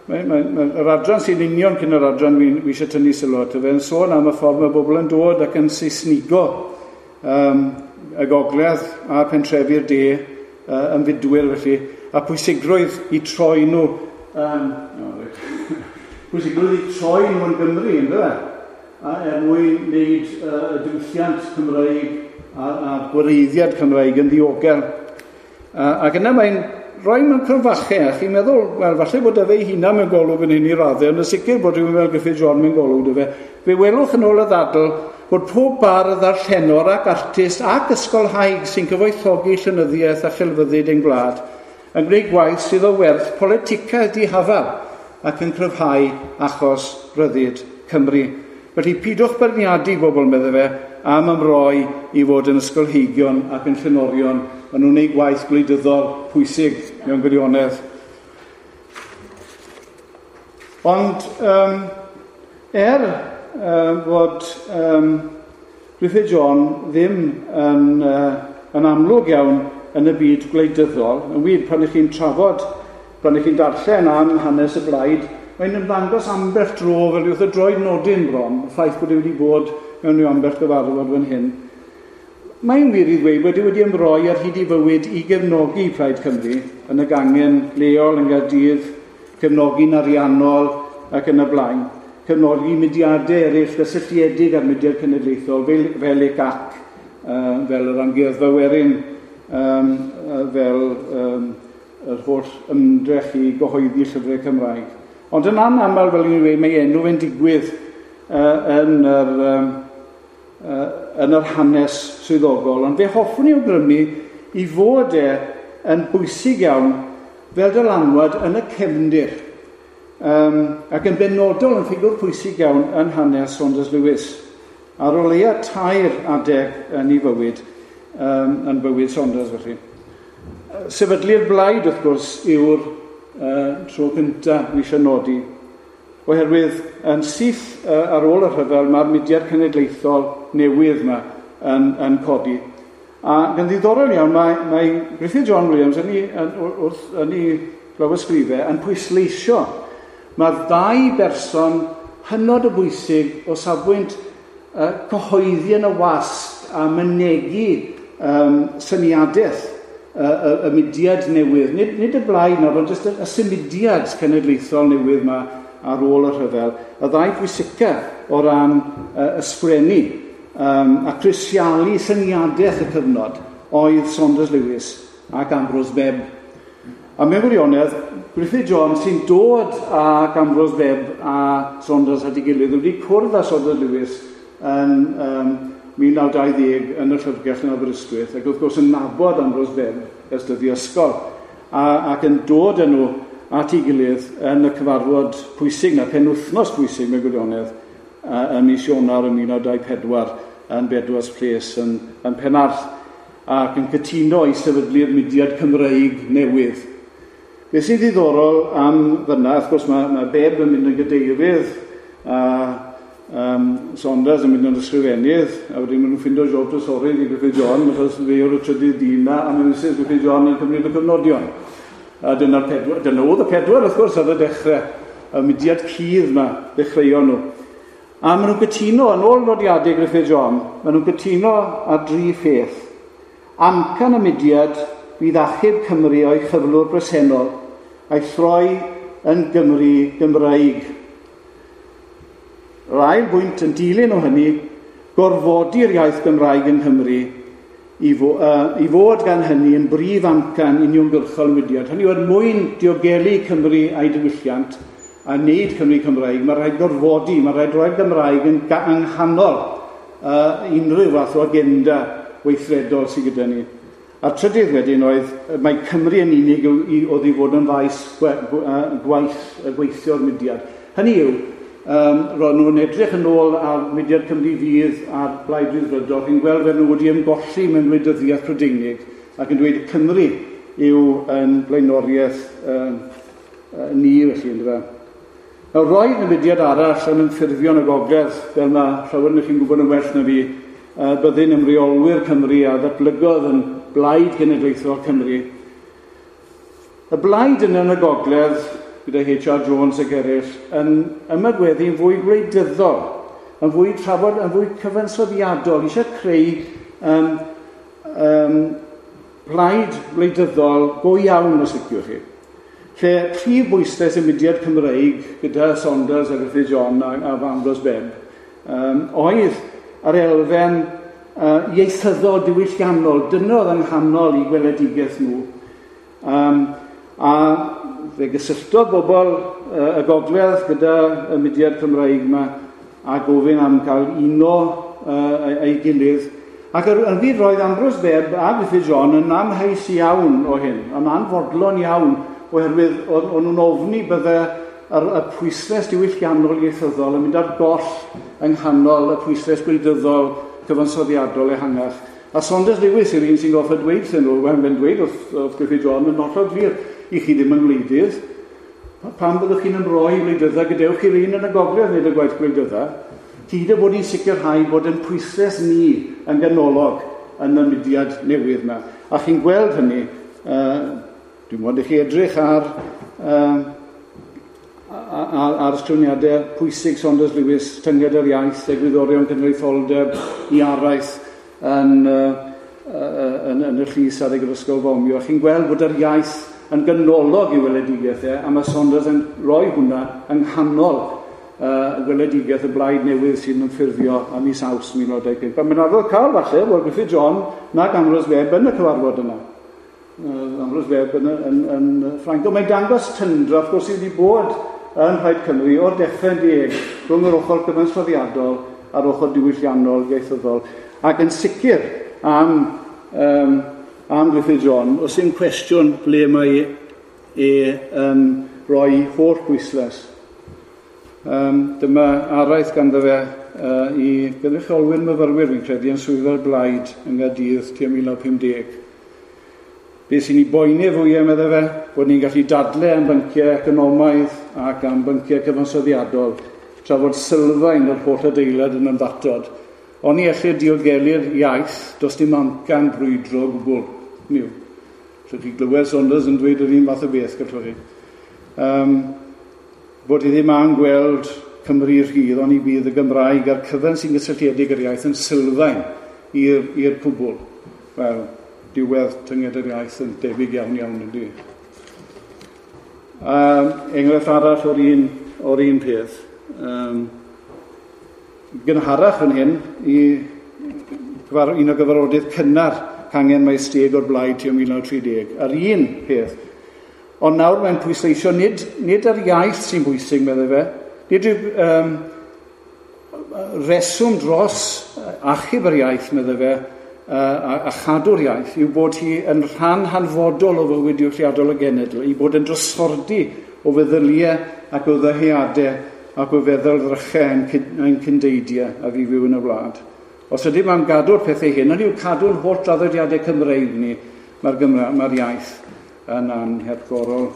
mae, mae, mae, yr adran sy'n union cyn yr adran wi, wi eisiau tynnu sylw ato fe, yn sôn am y ffordd mae bobl yn dod ac yn Saesnigo um, y gogledd a pentrefi'r de, uh, ymfudwyr felly, a pwysigrwydd i troi nhw, um, oh, right. pwysigrwydd i troi nhw yn Gymru, ynddo? A er mwyn wneud uh, y diwylliant Cymreig a, a gwreiddiad Cymreig yn ddiogel. Uh, ac yna mae'n rhoi mewn crynfachau, a chi'n meddwl, wel, falle bod efe ei hunan mewn golwg yn hyn i raddau, ond yn sicr bod rhywun fel Gruffydd John mewn golwg dy fe. Fe welwch yn ôl y ddadl bod pob bardd ddarllenwr ac artist ac ysgolhaig sy'n cyfoethogi llenyddiaeth a chelfyddyd ein gwlad yn gwneud gwaith sydd o werth politicau dihafal ac yn cryfhau achos rhyddid Cymru. Felly pidwch beirniadu bobl, meddai fe, am ymroi i fod yn ysgolheigion ac yn llenorion. Maen nhw'n gwneud gwaith gwleidyddol pwysig mewn gwirionedd. Ond um, er um, fod um, Gruffydd John ddim yn, uh, yn amlwg iawn yn y byd gwleidyddol, yn wir pan ych chi'n trafod, pan ych chi'n darllen am hanes y blaid, mae'n ymddangos ambell dro fel wrth y droed nodyn bron, y ffaith bod e wedi bod mewn rhyw ambell gyfarfod fan hyn. Mae'n wir i ddweud bod e wedi ymroi ar hyd ei fywyd i gefnogi Plaid Cymru yn y gangen leol yn Gaerdydd, cefnogi'n ariannol ac yn y blaen, cefnogi mudiadau eraill gysylltiedig â'r mudiad cenedlaethol fel, fel E C A C, uh, fel yr Amgueddfa Werin, um, fel um, yr holl ymdrech i gyhoeddi llyfrau Cymraeg. Ond yn anaml, fel i'n dweud, mae enw fe'n digwydd uh, yn, yr, um, uh, yn yr hanes swyddogol. Ond fe hoffwn i awgrymu i fod e yn bwysig iawn fel dylanwad yn y cefndir. Um, ac yn benodol yn ffigwr pwysig iawn yn hanes Saunders Lewis. Ar o leia tair adeg yn ei fywyd, um, yn bywyd Saunders felly. Sefydlu'r blaid, wrth gwrs, yw'r Uh, tro cyntaf fi eisiau nodi, oherwydd yn syth uh, ar ôl y rhyfel mae'r mudiad cenedlaethol newydd yma yn, yn codi. A yn ddiddorol iawn, mae, mae Gruffydd John Williams yn ei, yn, wrth, yn ei lawysgrifau yn pwysleisio mae'r ddau berson hynod o bwysig o safbwynt uh, cyhoeddi yn y wasg a mynegi um, syniadaeth y, y, y mudiad newydd. Nid, nid y blaid nawr, ond jyst y, y symudiad cenedlaethol newydd yma ar ôl y rhyfel. Y ddau bwysica o ran uh, ysgrifennu um, a crisialu syniadaeth y cyfnod oedd Saunders Lewis ac Ambrose Bebb. A mewn gwirionedd, Gruffydd John sy'n dod ag Ambrose Bebb a Saunders at ei gilydd wedi cwrdd â Saunders Lewis yn um, mil naw dau ddeg yn y llyfrgell yn Aberystwyth, ac wrth gwrs yn nabod Ambrose Bebb ers dyddiau ysgol, a, ac yn dod â nhw at ei gilydd yn y cyfarfod pwysig na, penwythnos pwysig mewn gwirionedd, ym mis Ionawr ym mil naw dau pedwar yn Bedwas Place yn, yn Penarth, ac yn cytuno i sefydlu'r mudiad Cymreig newydd. Be sy'n ddiddorol am fyna, wrth gwrs mae, mae Bebb yn mynd yn gadeirydd, a um, Saunders yn mynd yn ysgrifennydd, a wedyn maen nhw'n ffindo job trysorydd i Gruffydd John, achos fe yw'r trydydd dyn na, a mae Missus Gruffydd John yn cymryd y cyfnodion. A dyna'r pedwar, dyna oedd y pedwar, wrth gwrs, ar y dechrau, y mudiad cudd yma, ddechreuon nhw. A maen nhw'n cytuno, yn ôl nodiadau Gruffydd John, maen nhw'n cytuno ar dri pheth. Amcan y mudiad fydd achub Cymru o'i chyflwr bresennol a'i throi yn Gymru Gymraeg. Yr ail bwynt yn dilyn o hynny, gorfodi'r iaith Gymraeg yng Nghymru i, fo, uh, i fod gan hynny yn brif amcan uniongyrchol y mudiad. Hynny yw, er mwyn diogelu Cymru a'i diwylliant a wneud Cymru Cymraeg, mae rhaid gorfodi, mae rhaid roi'r Gymraeg yn yng nghanol uh, unrhyw fath o agenda weithredol sydd gyda ni. A'r trydydd wedyn oedd, mae Cymru yn unig oedd i fod yn faes gwaith, gweithio'r mudiad. Hynny yw, um, roedd nhw'n edrych yn ôl ar mudiad Cymru Fydd a'r Blaid Ryddfrydol, chi'n gweld fel nhw wedi ymgolli mewn gwleidyddiaeth Prydeinig ac yn dweud Cymru yw yn blaenoriaeth uh, uh, ni felly, yndyfe. Nawr, roedd y mudiad arall yn ymffurfio yn y gogledd, fel mae llawer ohonoch chi'n gwybod yn well na fi, uh, byddin ymreolwyr Cymru a ddatblygodd yn Blaid Genedlaethol Cymru. Y blaid yna yn y gogledd, gyda H R Jones ac eraill, yn ymagweddu'n fwy gwleidyddol, yn fwy trafod, yn fwy cyfansoddiadol, eisiau creu um, um, plaid gwleidyddol go iawn, os liciwch chi. Lle prif bwyslais y mudiad Cymreig gyda Saunders a Gruffydd John a, a Ambrose Bebb um, oedd yr elfen uh, ieithyddol diwylliannol, dyna oedd yng nghanol i gweledigaeth nhw. Um, a fe gysylltodd bobl uh, y gogledd gyda y mudiad Cymreig yma a gofyn am gael uno uh, ei gilydd. Ac yn wir roedd Ambrose Bebb a Gruffydd John yn amheus iawn o hyn, yn anfodlon iawn, oherwydd o'n nhw'n ofni bydde yr, y pwyslais diwylliannol ieithyddol yn mynd ar goll yng nghanol y pwyslais gwleidyddol cyfansoddiadol ehangach. A Saunders Lewis yw'r un sy'n gorfod dweud wrthyn nhw, wel, mae'n dweud wrth, wrth Gruffydd John yn hollol glir, i chi ddim yn gwleidydd, pam byddwch chi'n ymroi i wleidydda, gadewch chi'r un yn y gogledd wneud y gwaith gwleidydda, hyd y bod ni'n sicrhau bod yn pwyslais ni yn ganolog yn y mudiad newydd yma. A chi'n gweld hynny, uh, dwi'n modd i chi edrych ar, uh, ar, ar ysgrifeniadau pwysig Saunders Lewis, Tynged yr Iaith, Egwyddorion Cenedlaetholdeb, i araith yn, uh, yn, yn y llys ar y Ysgol Fomio. Chi'n gweld bod yr iaith yn ganolog i weledigaeth e, a mae Saunders yn rhoi hwnna yng nghanol uh, weledigaeth y blaid newydd sy'n ymffurfio am mis Awst mil naw dau pump. A mae'n arwydd cael falle bod Gruffydd John nag Ambrose Bebb yn y cyfarfod yna. Uh, Ambrose Bebb yn, yn, yn, yn Ffrainc. Ond mae'n dangos tyndra, wrth gwrs, sydd wedi bod yn Rhaid Cymru o'r dechrau'n deg rhwng yr ochr cyfansoddiadol a'r ochr diwylliannol ieithyddol. Ac yn sicr am, um, am Gruffydd John, os yw'n cwestiwn ble mae e yn rhoi holl bwyslais. Um, dyma araith ganddo fe uh, i gynrychiolwyr myfyrwyr, fi'n credu, yn swyddfa'r blaid yng Nghaerdydd tua mil naw pum deg. Be sy'n ei boeni fwyaf, meddai fe, bod ni'n gallu dadle am bynciau economaidd ac am bynciau cyfansoddiadol, tra fod sylfaen yr holl adeilad yn ymddatod. Ond ni ellir diogelu'r iaith, does dim amcan brwydro o gwbl. Niw. Allwch chi glywed Saunders yn dweud yr un fath o beth, gallwch chi. Um, bod i ddim am gweld Cymru rhydd, ond i bydd y Gymraeg a'r cyfan sy'n gysylltiedig â'r iaith yn sylfaen i'r cwbl. Wel, diwedd tynged yr iaith yn debyg iawn iawn yndi. Um, enghraifft arall o'r un, o'r un peth. Um, gynharach yn hyn, i gyfar, un o gyfarfodydd cynnar cangen Maesteg o'r Blaid tua mil naw tri deg. Yr un peth. Ond nawr mae'n pwysleisio nid, nid yr iaith sy'n bwysig, meddai fe, nid yw um, reswm dros achub yr iaith, meddai fe, a, a chadw'r iaith, yw bod hi yn rhan hanfodol o fywyd diwylliadol y genedl, i bod yn drysordi o feddyliau ac o ddyheadau ac o feddylddrychau ein, ein cyndeidiau a fi fyw yn y wlad. Os ydym am gadw'r pethau hyn, hynny yw cadw'n holl draddodiadau Cymreig ni, mae'r Gymra, mae'r iaith yn anhepgorol.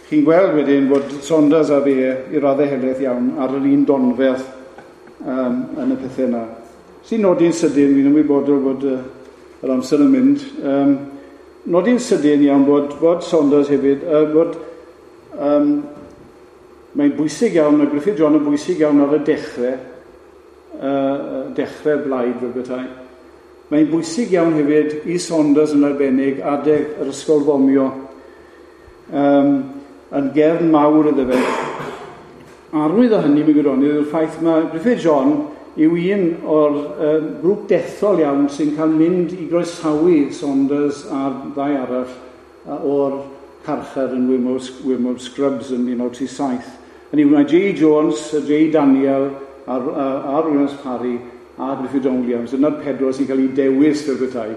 Chi'n gweld wedyn bod Saunders a fe i raddau helaeth iawn ar yr un donfedd um, yn y pethau yna. Sy'n nodi'n sydyn, fi'n ymwybodol bod uh, yr amser yn mynd, um, nodi'n sydyn iawn bod, bod Saunders hefyd, uh, bod um, mae'n bwysig iawn, mae Gruffydd John yn bwysig iawn ar y dechrau, uh, dechrau blaid fel bethau. Mae'n bwysig iawn hefyd i Saunders yn arbennig adeg yr ysgol fomio, um, yn gefn mawr iddo fe. Arwydd o hynny, mewn gwirionedd, yw'r ffaith mae Gruffydd John yw un o'r uh, grŵp dethol iawn sy'n cael mynd i groesawu Saunders a'r ddau arall uh, o'r carchar yn Wymore Scrubs yn mil naw tri saith. Hynny yw, mae J. Jones, J. Daniel, a'r, a'r Williams Parry a Gruffydd John Williams, yna'r pedwar sy'n cael ei dewis fel bethau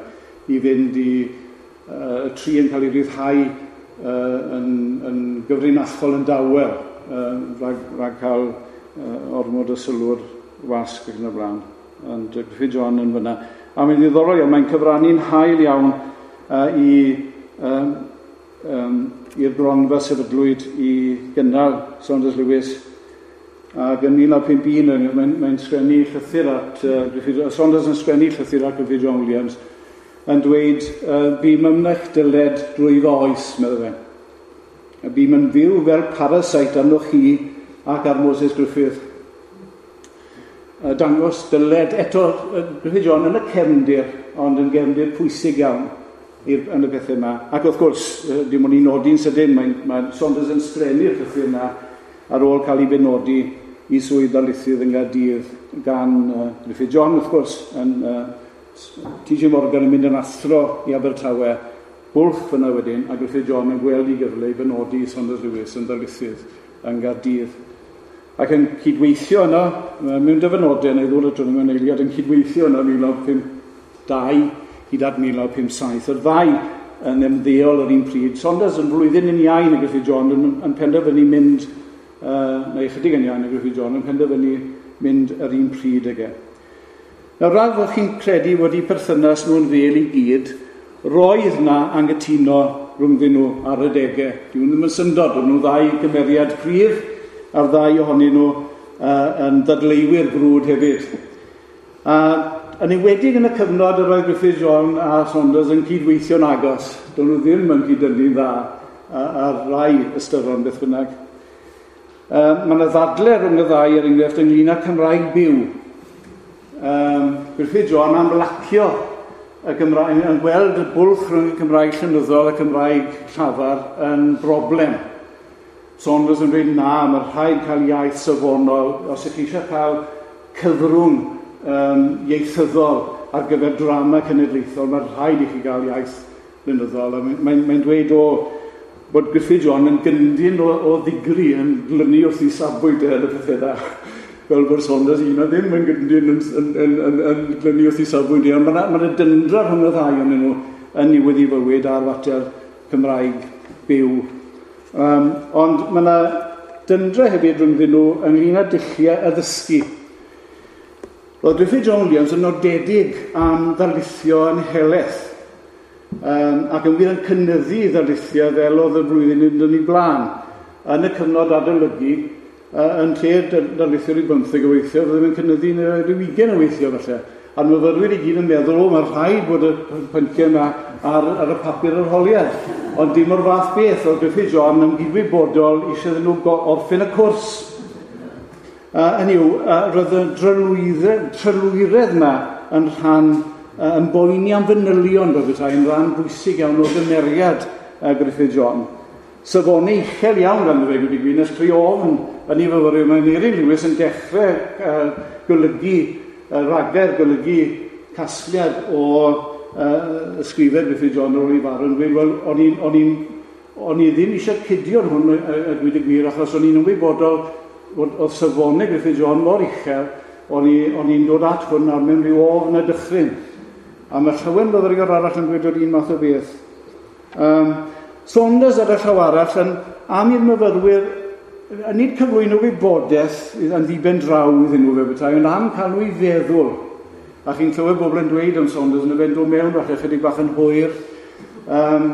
i fynd i uh, y tri yn cael ei ryddhau uh, yn, yn gyfrinachol yn dawel uh, rhag, rhag cael uh, ormod o sylw'r wasg ac yn y blaen. Ond Gruffydd John yn fyna. A mae'n ddiddorol iawn, mae'n cyfrannu'n hael iawn uh, i um, um, i'r gronfa sefydlwyd i gynnal Saunders Lewis. Ac yn mil naw pump un mae'n mae sgrennu llythyr at uh, Gruffydd, Saunders yn sgrennu llythyr at Gruffydd John Williams yn dweud uh, bûm ymnech dyled drwy fy oes, meddai fe. A bûm yn fyw fel parasite arnoch chi ac ar Moses Griffith. Uh, dangos dyled eto uh, Gruffydd John yn y cefndir, ond yn gefndir pwysig iawn i'r, yn y pethau yma. Ac wrth gwrs, uh, dim ond i nodi'n sydyn, mae, mae Saunders yn sgrennu'r llythyr yna ar ôl cael ei benodi i swydd darlithydd yng Nghaerdydd gan uh, Gruffydd John, wrth gwrs, yn uh, T J Morgan yn mynd yn athro i Abertawe, bwlch fyna wedyn, a Gruffydd John yn gweld i gyfle i benodi Saunders Lewis yn ddarlithydd yng Nghaerdydd. Ac yn cydweithio yno, mewn dyfynodau, neu ddod at hwnnw mewn eiliad, yn cydweithio yno mil naw pump dau hyd at mil naw pump saith. Yr ddau yn ymddeol yr un pryd. Saunders yn flwyddyn yn iau na Gruffydd John yn, yn penderfynu mynd, uh, neu ychydig yn iau na Gruffydd John, yn penderfynu mynd yr un pryd ag e. Nawr, rhaid fod chi'n credu wedi perthynas nhw'n fel i gyd, roedd na anghytuno rhwngddyn nhw ar y degau. Dyw ddim yn syndod, o'n nhw ddau gymeriad cryf, a'r ddau ohonyn nhw uh, yn ddadleuwyr brwd hefyd. A yn enwedig yn y cyfnod yr oedd Gruffydd John a Saunders yn cydweithio'n agos. Do'n nhw ddim yn cydynnu'n dda ar rai ystyron beth bynnag. Uh, mae yna ddadle rhwng y ddau er enghraifft ynglyn â Cymraeg byw. Um, Gruffydd John am lacio y Gymraeg, yn gweld y bwlch rhwng y Cymraeg llenyddol a Cymraeg llafar yn broblem. Saunders yn dweud na, mae rhaid cael iaith safonol, os ydych chi eisiau cael cyfrwng um, ieithyddol ar gyfer drama cenedlaethol, mae rhaid i chi gael iaith lenyddol. A mae'n mae, mae dweud o bod Gruffydd John yn gyndyn o, o ddigri, yn glynu wrth ei safbwynt yn y pethau dda. Fel bod Saunders un a ddim yn gyndyn yn, yn, yn, yn, yn glynu wrth ei safbwynt. Ond mae yna dyndra rhwng y ddau ohonyn nhw yn niwedd i fywyd ar fater Cymraeg byw. Um, ond mae yna dyndra hefyd rhwngddyn nhw ynglyn â dulliau addysgu. Roedd Gruffydd John Williams yn nodedig am ddarlithio yn helaeth, um, ac yn wir yn cynyddu ddarlithio fel oedd y flwyddyn yn yn ei blaen. Yn y cyfnod adolygu, uh, yn lle darlithio rhyw bymtheg o weithio, roedd yn cynyddu rhyw ugain o weithio falle. A'r myfyrwyr i gyd yn meddwl, o, mae rhaid bod y pynciau yma ar, ar y papur arholiad. Ond dim o'r fath beth, oedd Gruffydd John yn gydwybodol eisiau iddyn nhw orffen y cwrs. Uh, hynny yw, uh, roedd y trylwyredd yma yn rhan, uh, yn boeni am fanylion fel petai, yn rhan bwysig iawn o gymeriad uh, Gruffydd John. Safonau uchel iawn ganddo fe, gwyd i gwir, nes creu ofn yn ei fyfyrwyr. Mae Aneurin Lewis yn dechrau uh, golygu, uh, ragair golygu casgliad o uh, ysgrifau Gruffydd John ar ôl ei farw yn dweud, wel, o'n i'n, o'n i'n, o'n i ddim eisiau cudio'r hwn, a gweud y gwir, achos o'n i'n ymwybodol bod oedd safonau Gruffydd John mor uchel, o'n i'n dod at hwn ar mewn rhyw ofn a dychryn. A mae llawer myfyriwr arall yn dweud o'r un math o beth. Um, Saunders ar y llaw arall yn am i'r myfyrwyr, nid cyflwyno wybodaeth yn ddiben draw iddyn nhw fe bethau, ond am cael nhw i feddwl. A chi'n clywed bobl yn dweud am Saunders yn y fe'n dod mewn falle chydig bach yn hwyr, um,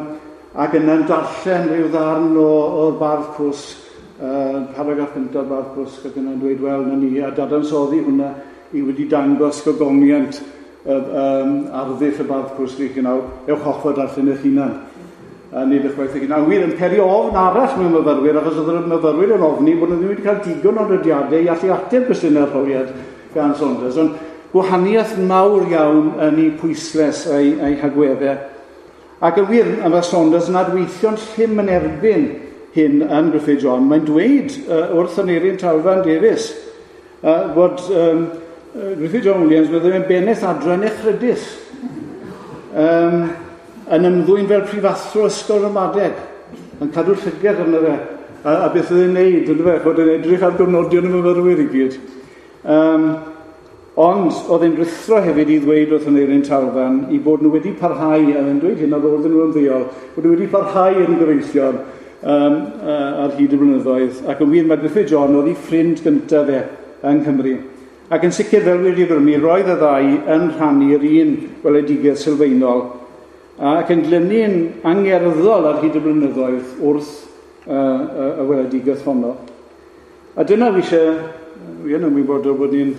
ac yna'n darllen rhyw ddarn o'r Bardd Cwsg, uh, paragraff cyntaf Bardd Cwsg, ac yna'n dweud, wel, na ni, a dadansoddi hwnna i wedi dangos gogoniant um, arddull y Bardd Cwsg i chi nawr, ewch off o darllen eich hunan. A nid eich gwaith eich hunan. A wir, yn peri ofn arall mewn myfyrwyr, achos oedd y myfyrwyr yn ofni bod nhw ddim wedi cael digon o nodiadau i allu ateb cwestiynau arholiad gan Saunders. Ond gwahaniaeth mawr iawn yn ei pwysles a'i, a'i hagweddau. Ac yn wir, mae Saunders yn adweithio'n llym yn erbyn hyn yn Gruffydd John. Mae'n dweud uh, wrth Aneurin Talfan Davies uh, bod um, Gruffydd John Williams byddai yn bennaeth adran echrydus, um, yn ymddwyn fel prifathro ysgol ramadeg, yn cadw llygad arno fe, a, a beth oedd e'n neud, ynddo fe, bod e'n edrych ar gofnodion y myfyrwyr i gyd. Um, ond oedd e'n rhuthro hefyd i ddweud wrth Aneurin Talfan i bod nhw wedi parhau, a yn dweud hyn ar ôl iddyn nhw ymddeol, bod nhw wedi parhau yn gyfeillion um, uh, ar hyd y blynyddoedd. Ac yn wir, mae Gruffydd John oedd ei ffrind gyntaf fe yng Nghymru. Ac yn sicr, fel wedi awgrymu, roedd y ddau yn rhannu'r un weledigaeth sylfaenol ac yn glynu'n angerddol ar hyd y blynyddoedd wrth uh, y, y weledigaeth honno. A dyna fi eisiau, fi yn ymwybodol bod ni'n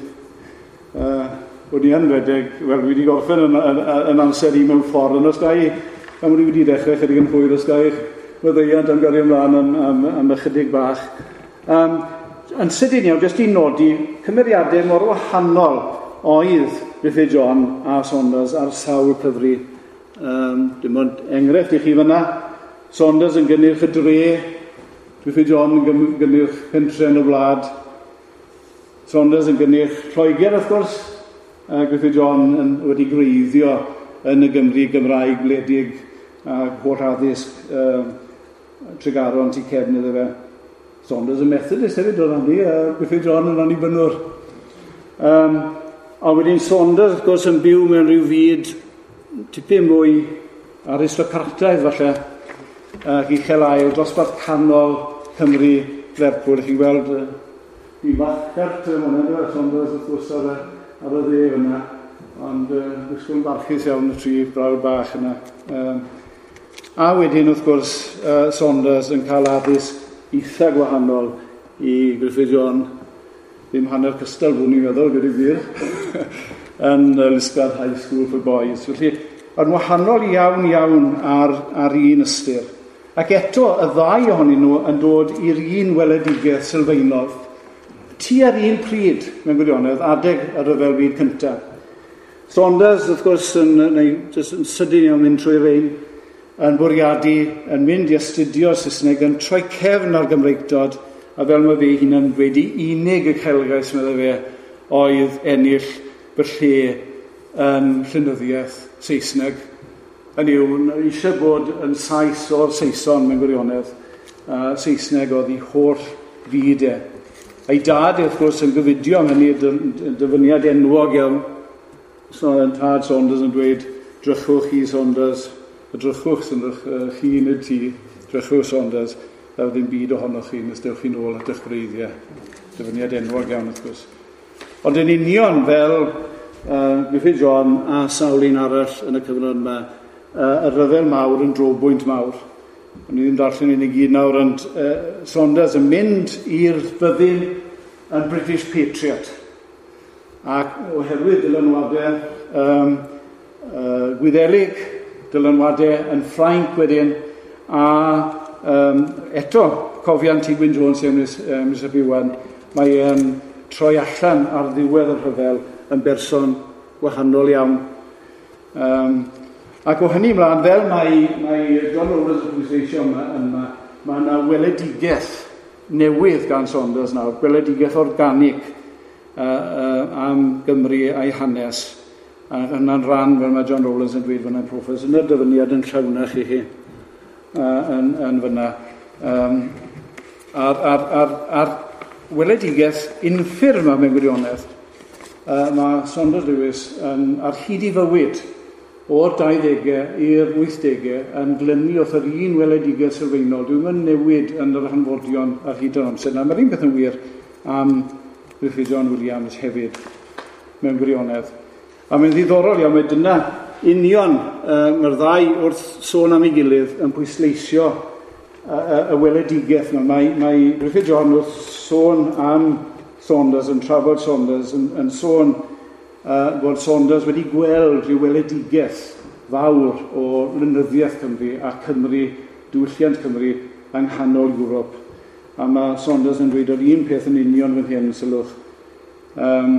uh, bod ni yn redeg, wel, fi wedi gorffen yn, yn, yn amser i mewn ffordd, ond os ga i, am bod i wedi dechrau chydig yn hwyr, os ga i'ch maddeuant am gario ymlaen am, am, am ychydig bach. Um, yn sydyn iawn, jyst i nodi, cymeriadau mor wahanol oedd Gruffydd John a Saunders ar sawl cyfri. Um, dim ond enghraifft i chi fyna, Saunders yn gynnyrch y dre, Gruffydd John yn gynnyrch pentre yn y wlad, Saunders yn gynnyrch Lloegr, wrth gwrs, a Gruffydd John yn, wedi gwreiddio yn y Gymru Gymraeg wledig a holl addysg uh, Tregaron tu cefn iddo fe. Saunders yn Methodist hefyd o'r rannu, a Gruffydd John yn annibynnwr. Um, a wedyn Saunders, wrth gwrs, yn byw mewn rhyw fyd tipyn mwy aristocrataidd falle, ac uchel ail, dosbarth canol Cymru, Lerpwl. Chi'n gweld uh, i fachert yn hwnna, Saunders wrth gwrs ar y, ar y dde fyna, ond uh, wisgo'n barchus iawn y tri brawd bach yna. Um, a wedyn wrth gwrs uh, Saunders yn cael addysg eitha gwahanol i Gruffydd John, ddim hanner cystal fwn i'n meddwl, gyda gwir, yn Liskeard High School for Boys. Felly, yn wahanol iawn iawn ar, ar un ystyr. Ac eto, y ddau ohonyn nhw yn dod i'r un weledigaeth sylfaenol. Tua'r un pryd, mewn gwirionedd, adeg y Rhyfel Byd Cyntaf. Saunders, wrth gwrs, yn, neu, jyst yn sydyn iawn mynd trwy rein, yn bwriadu, yn mynd i astudio Saesneg, yn troi cefn ar Gymreictod, a fel mae fe hunan dweud, unig uchelgais, meddai fe, oedd ennill fy lle yn llenyddiaeth Saesneg. Hynny yw, eisiau bod yn Sais o'r Saeson mewn gwirionedd. Uh, Saesneg oedd ei holl fyd e. Ei dad, wrth gwrs, yn gofidio am hynny, dyfyniad enwog iawn. So, tad Saunders yn dweud, drychwch chi Saunders, a drychwch sy'n chi nid ti, drychwch Saunders, ddaw ddim byd ohonoch chi nes dewch chi'n ôl at eich gwreiddiau. Dyfyniad enwog iawn, wrth gwrs. Ond yn union fel uh, Gruffydd John a sawl un arall yn y cyfnod yma, uh, y rhyfel mawr yn drobwynt mawr. O'n i ddim darllen un i gyd nawr, ond uh, Saunders yn mynd i'r fyddin yn British Patriot. Ac oherwydd dylanwadau um, uh, Gwyddelig, dylanwadau yn Ffrainc wedyn, a um, eto cofiant T. Gwyn Jones, Mister Iwan, mae e'n troi allan ar ddiwedd y rhyfel yn berson wahanol iawn. Um, ac o hynny ymlaen, fel mae, mae John Rowlands yn pwysleisio yma, yma, mae yna weledigaeth newydd gan Saunders nawr, gweledigaeth organig uh, uh, am Gymru a'i hanes. A hynna'n rhan, fel mae John Rowlands yn dweud fyna, Professor, yna'r dyfyniad yn llawnach i chi uh, yn, yn fyna. Um, a'r, ar, ar, ar weledigaeth unffurf yma mewn gwirionedd, uh, mae Saunders Lewis yn, ar hyd i fywyd o'r dauddegau i'r wythdegau yn glynu wrth yr un weledigaeth sylfaenol. Dwi'n mynd newid yn yr hanfodion ar hyd yr amser. Na, mae'r un beth yn wir am Gruffydd John Williams hefyd mewn gwirionedd. A mae'n ddiddorol iawn, mae dyna union uh, mae'r ddau wrth sôn am ei gilydd yn pwysleisio y, y, y weledigaeth yma. Mae, mae Gruffydd John wrth sôn am Saunders, yn trafod Saunders, yn, yn sôn uh, bod Saunders wedi gweld rhyw weledigaeth fawr o lenyddiaeth Cymru a Cymru, diwylliant Cymru yng nghanol Ewrop. A mae Saunders yn dweud yr un peth yn union fan hyn, sylwch. Um,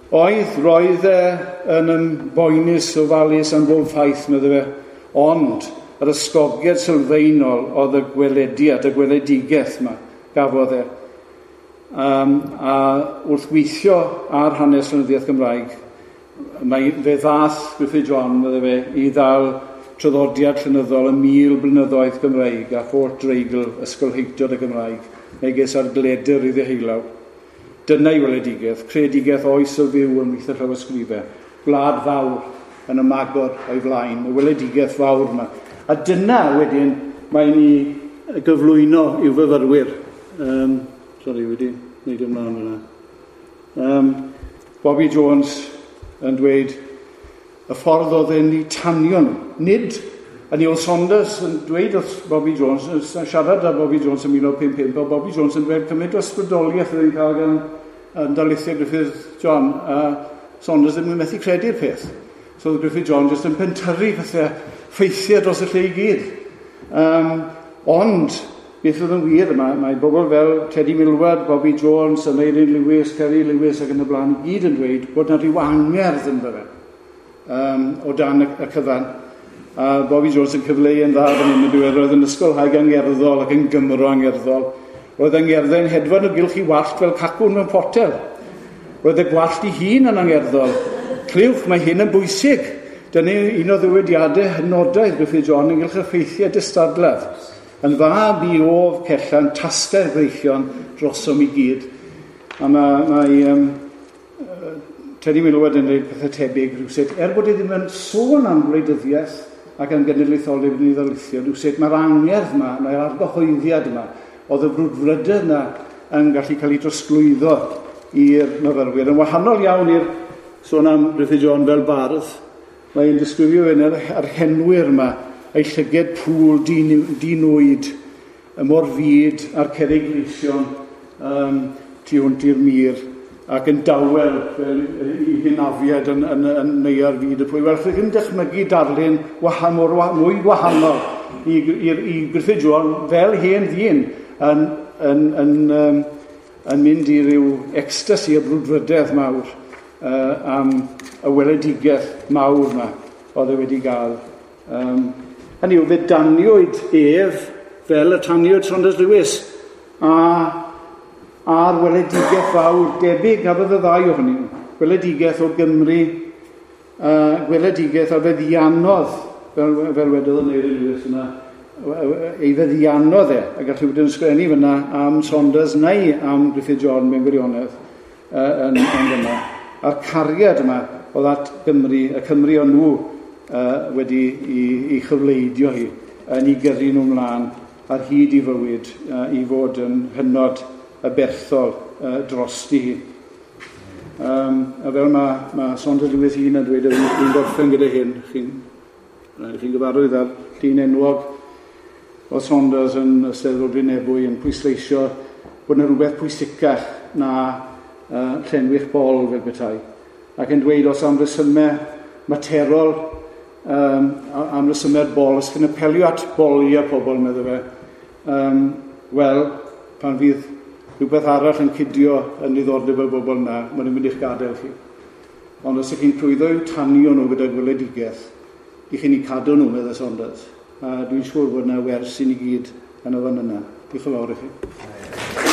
Oedd, roedd e yn ymboenus ofalus am bob ffaith, meddai fe, ond yr ysgogiad sylfaenol oedd y gwelediad, y gweledigaeth yma gafodd e. Um, a wrth weithio ar hanes llenyddiaeth Gymraeg, mae, fe ddath Gruffydd John, meddai fe, i ddal traddodiad llenyddol y mil blynyddoedd Gymraeg a holl dreigl ysgolheictod y Gymraeg, megis ar gledr i ddeheullaw. Dyna i weledigaeth, creadigaeth oes o fyw ymhlith y llawysgrifau, gwlad fawr yn ymagor o'i flaen, y weledigaeth fawr yma. A dyna wedyn mae'n i gyflwyno i'w fyfyrwyr. Um, sorry, wedi wneud ymlaen yna. Um, Bobby Jones yn dweud y ffordd oedd e'n ei tanio nhw. Nid, a Neil Saunders yn dweud wrth Bobby Jones, yn siarad â Bobby Jones yn mil naw pump pump, a Bobby Jones yn dweud cymaint o ysbrydoliaeth oedd e'n cael gan yn darlithiau Gruffydd John, a Saunders ddim yn methu credu'r peth. So oedd Gruffydd John jyst yn pentyrru pethau ffeithiau dros y lle i gyd. Um, ond, beth oedd yn wir yma, mae bobl fel Teddy Milward, Bobby Jones, Aneurin Lewis, Kerry Lewis ac yn y blaen i gyd yn dweud bod yna rhyw angerdd ynddo fe um, o dan y, y cyfan. A Bobby Jones yn cyfleu yn dda fan hyn yn dweud, roedd yn ysgolhaig angerddol ac yn Gymro angerddol. Roedd angerddau'n hedfan o gylch i wallt fel cacwn mewn potel. Roedd y gwallt ei hun yn angerddol. Clywch, mae hyn yn bwysig. Dyna un o ddywediadau hynodaidd Gruffydd John ynghylch y ffeithiau distadledd. Yn fab i of cellan tasgau'r breichion drosom i gyd. A mae, mae um, Teddy Milward yn dweud pethau tebyg rhywsut. Er bod e ddim yn sôn am wleidyddiaeth ac am genedlaetholdeb yn ei ddarlithio, rhywsut mae'r angerdd yma, mae'r argyhoeddiad yma, oedd y brwdfrydedd yna yn gallu cael ei drosglwyddo i'r myfyrwyr. Yn wahanol iawn i'r sôn am Gruffydd John fel bardd, mae'n disgrifio fe'n yr henwyr yma, ei llyged pŵl dinwyd, y mor fyd a'r cerrig gleision um, tu hwnt i'r mur, ac yn dawel fel i hynafiad yn, yn, yn neua'r fyd y pwy. Wel, chi'n dychmygu darlun wahan, mor, mwy wahanol i, i, i Gruffydd John fel hen ddyn yn, yn, yn, yn, yn mynd i ryw ecstasi o brwdfrydedd mawr uh, am y weledigaeth mawr yma oedd e wedi gael. Um, hynny yw, fe daniwyd ef fel y taniwyd Saunders Lewis a a'r weledigaeth fawr debyg gafodd y ddau ohonyn nhw. Gweledigaeth o Gymru, uh, gweledigaeth a feddiannodd, fel, fel wedodd Aneurin Lewis yna, ei feddiannodd e, a gallu bod yn ysgrifennu fyna am Saunders neu am Gruffydd John mewn gwirionedd uh, yn, yn fyna. A'r cariad yma oedd at Gymru, y Cymru o'n nhw uh, wedi i, i chyfleidio hi, yn ei gyrru nhw mlaen ar hyd i fywyd uh, i fod yn hynod y berthol uh, drosti hi. Um, a fel mae, mae Saunders Lewis hun yn dweud, fi'n gorffen gyda hyn, chi'n chi gyfarwydd â'r llun enwog o Saunders yn Eisteddfod Bryn Ebwy yn pwysleisio bod yna rhywbeth pwysicach na uh, llenwi'ch bol fel petai. Ac yn dweud os am resymau materol, um, am resymau'r bol, os chi'n apelio at boliau pobl, meddai fe, um, wel, pan fydd rhywbeth arall yn cydio yn niddordeb y bobl yna, maen nhw'n mynd i'ch gadael chi. Ond os ych chi'n llwyddo i'w tanio nhw gyda gweledigaeth, i chi'n eu cadw nhw, medde Saunders. A dwi'n siŵr bod yna wers i ni gyd yn y fan yna. Diolch yn fawr i chi.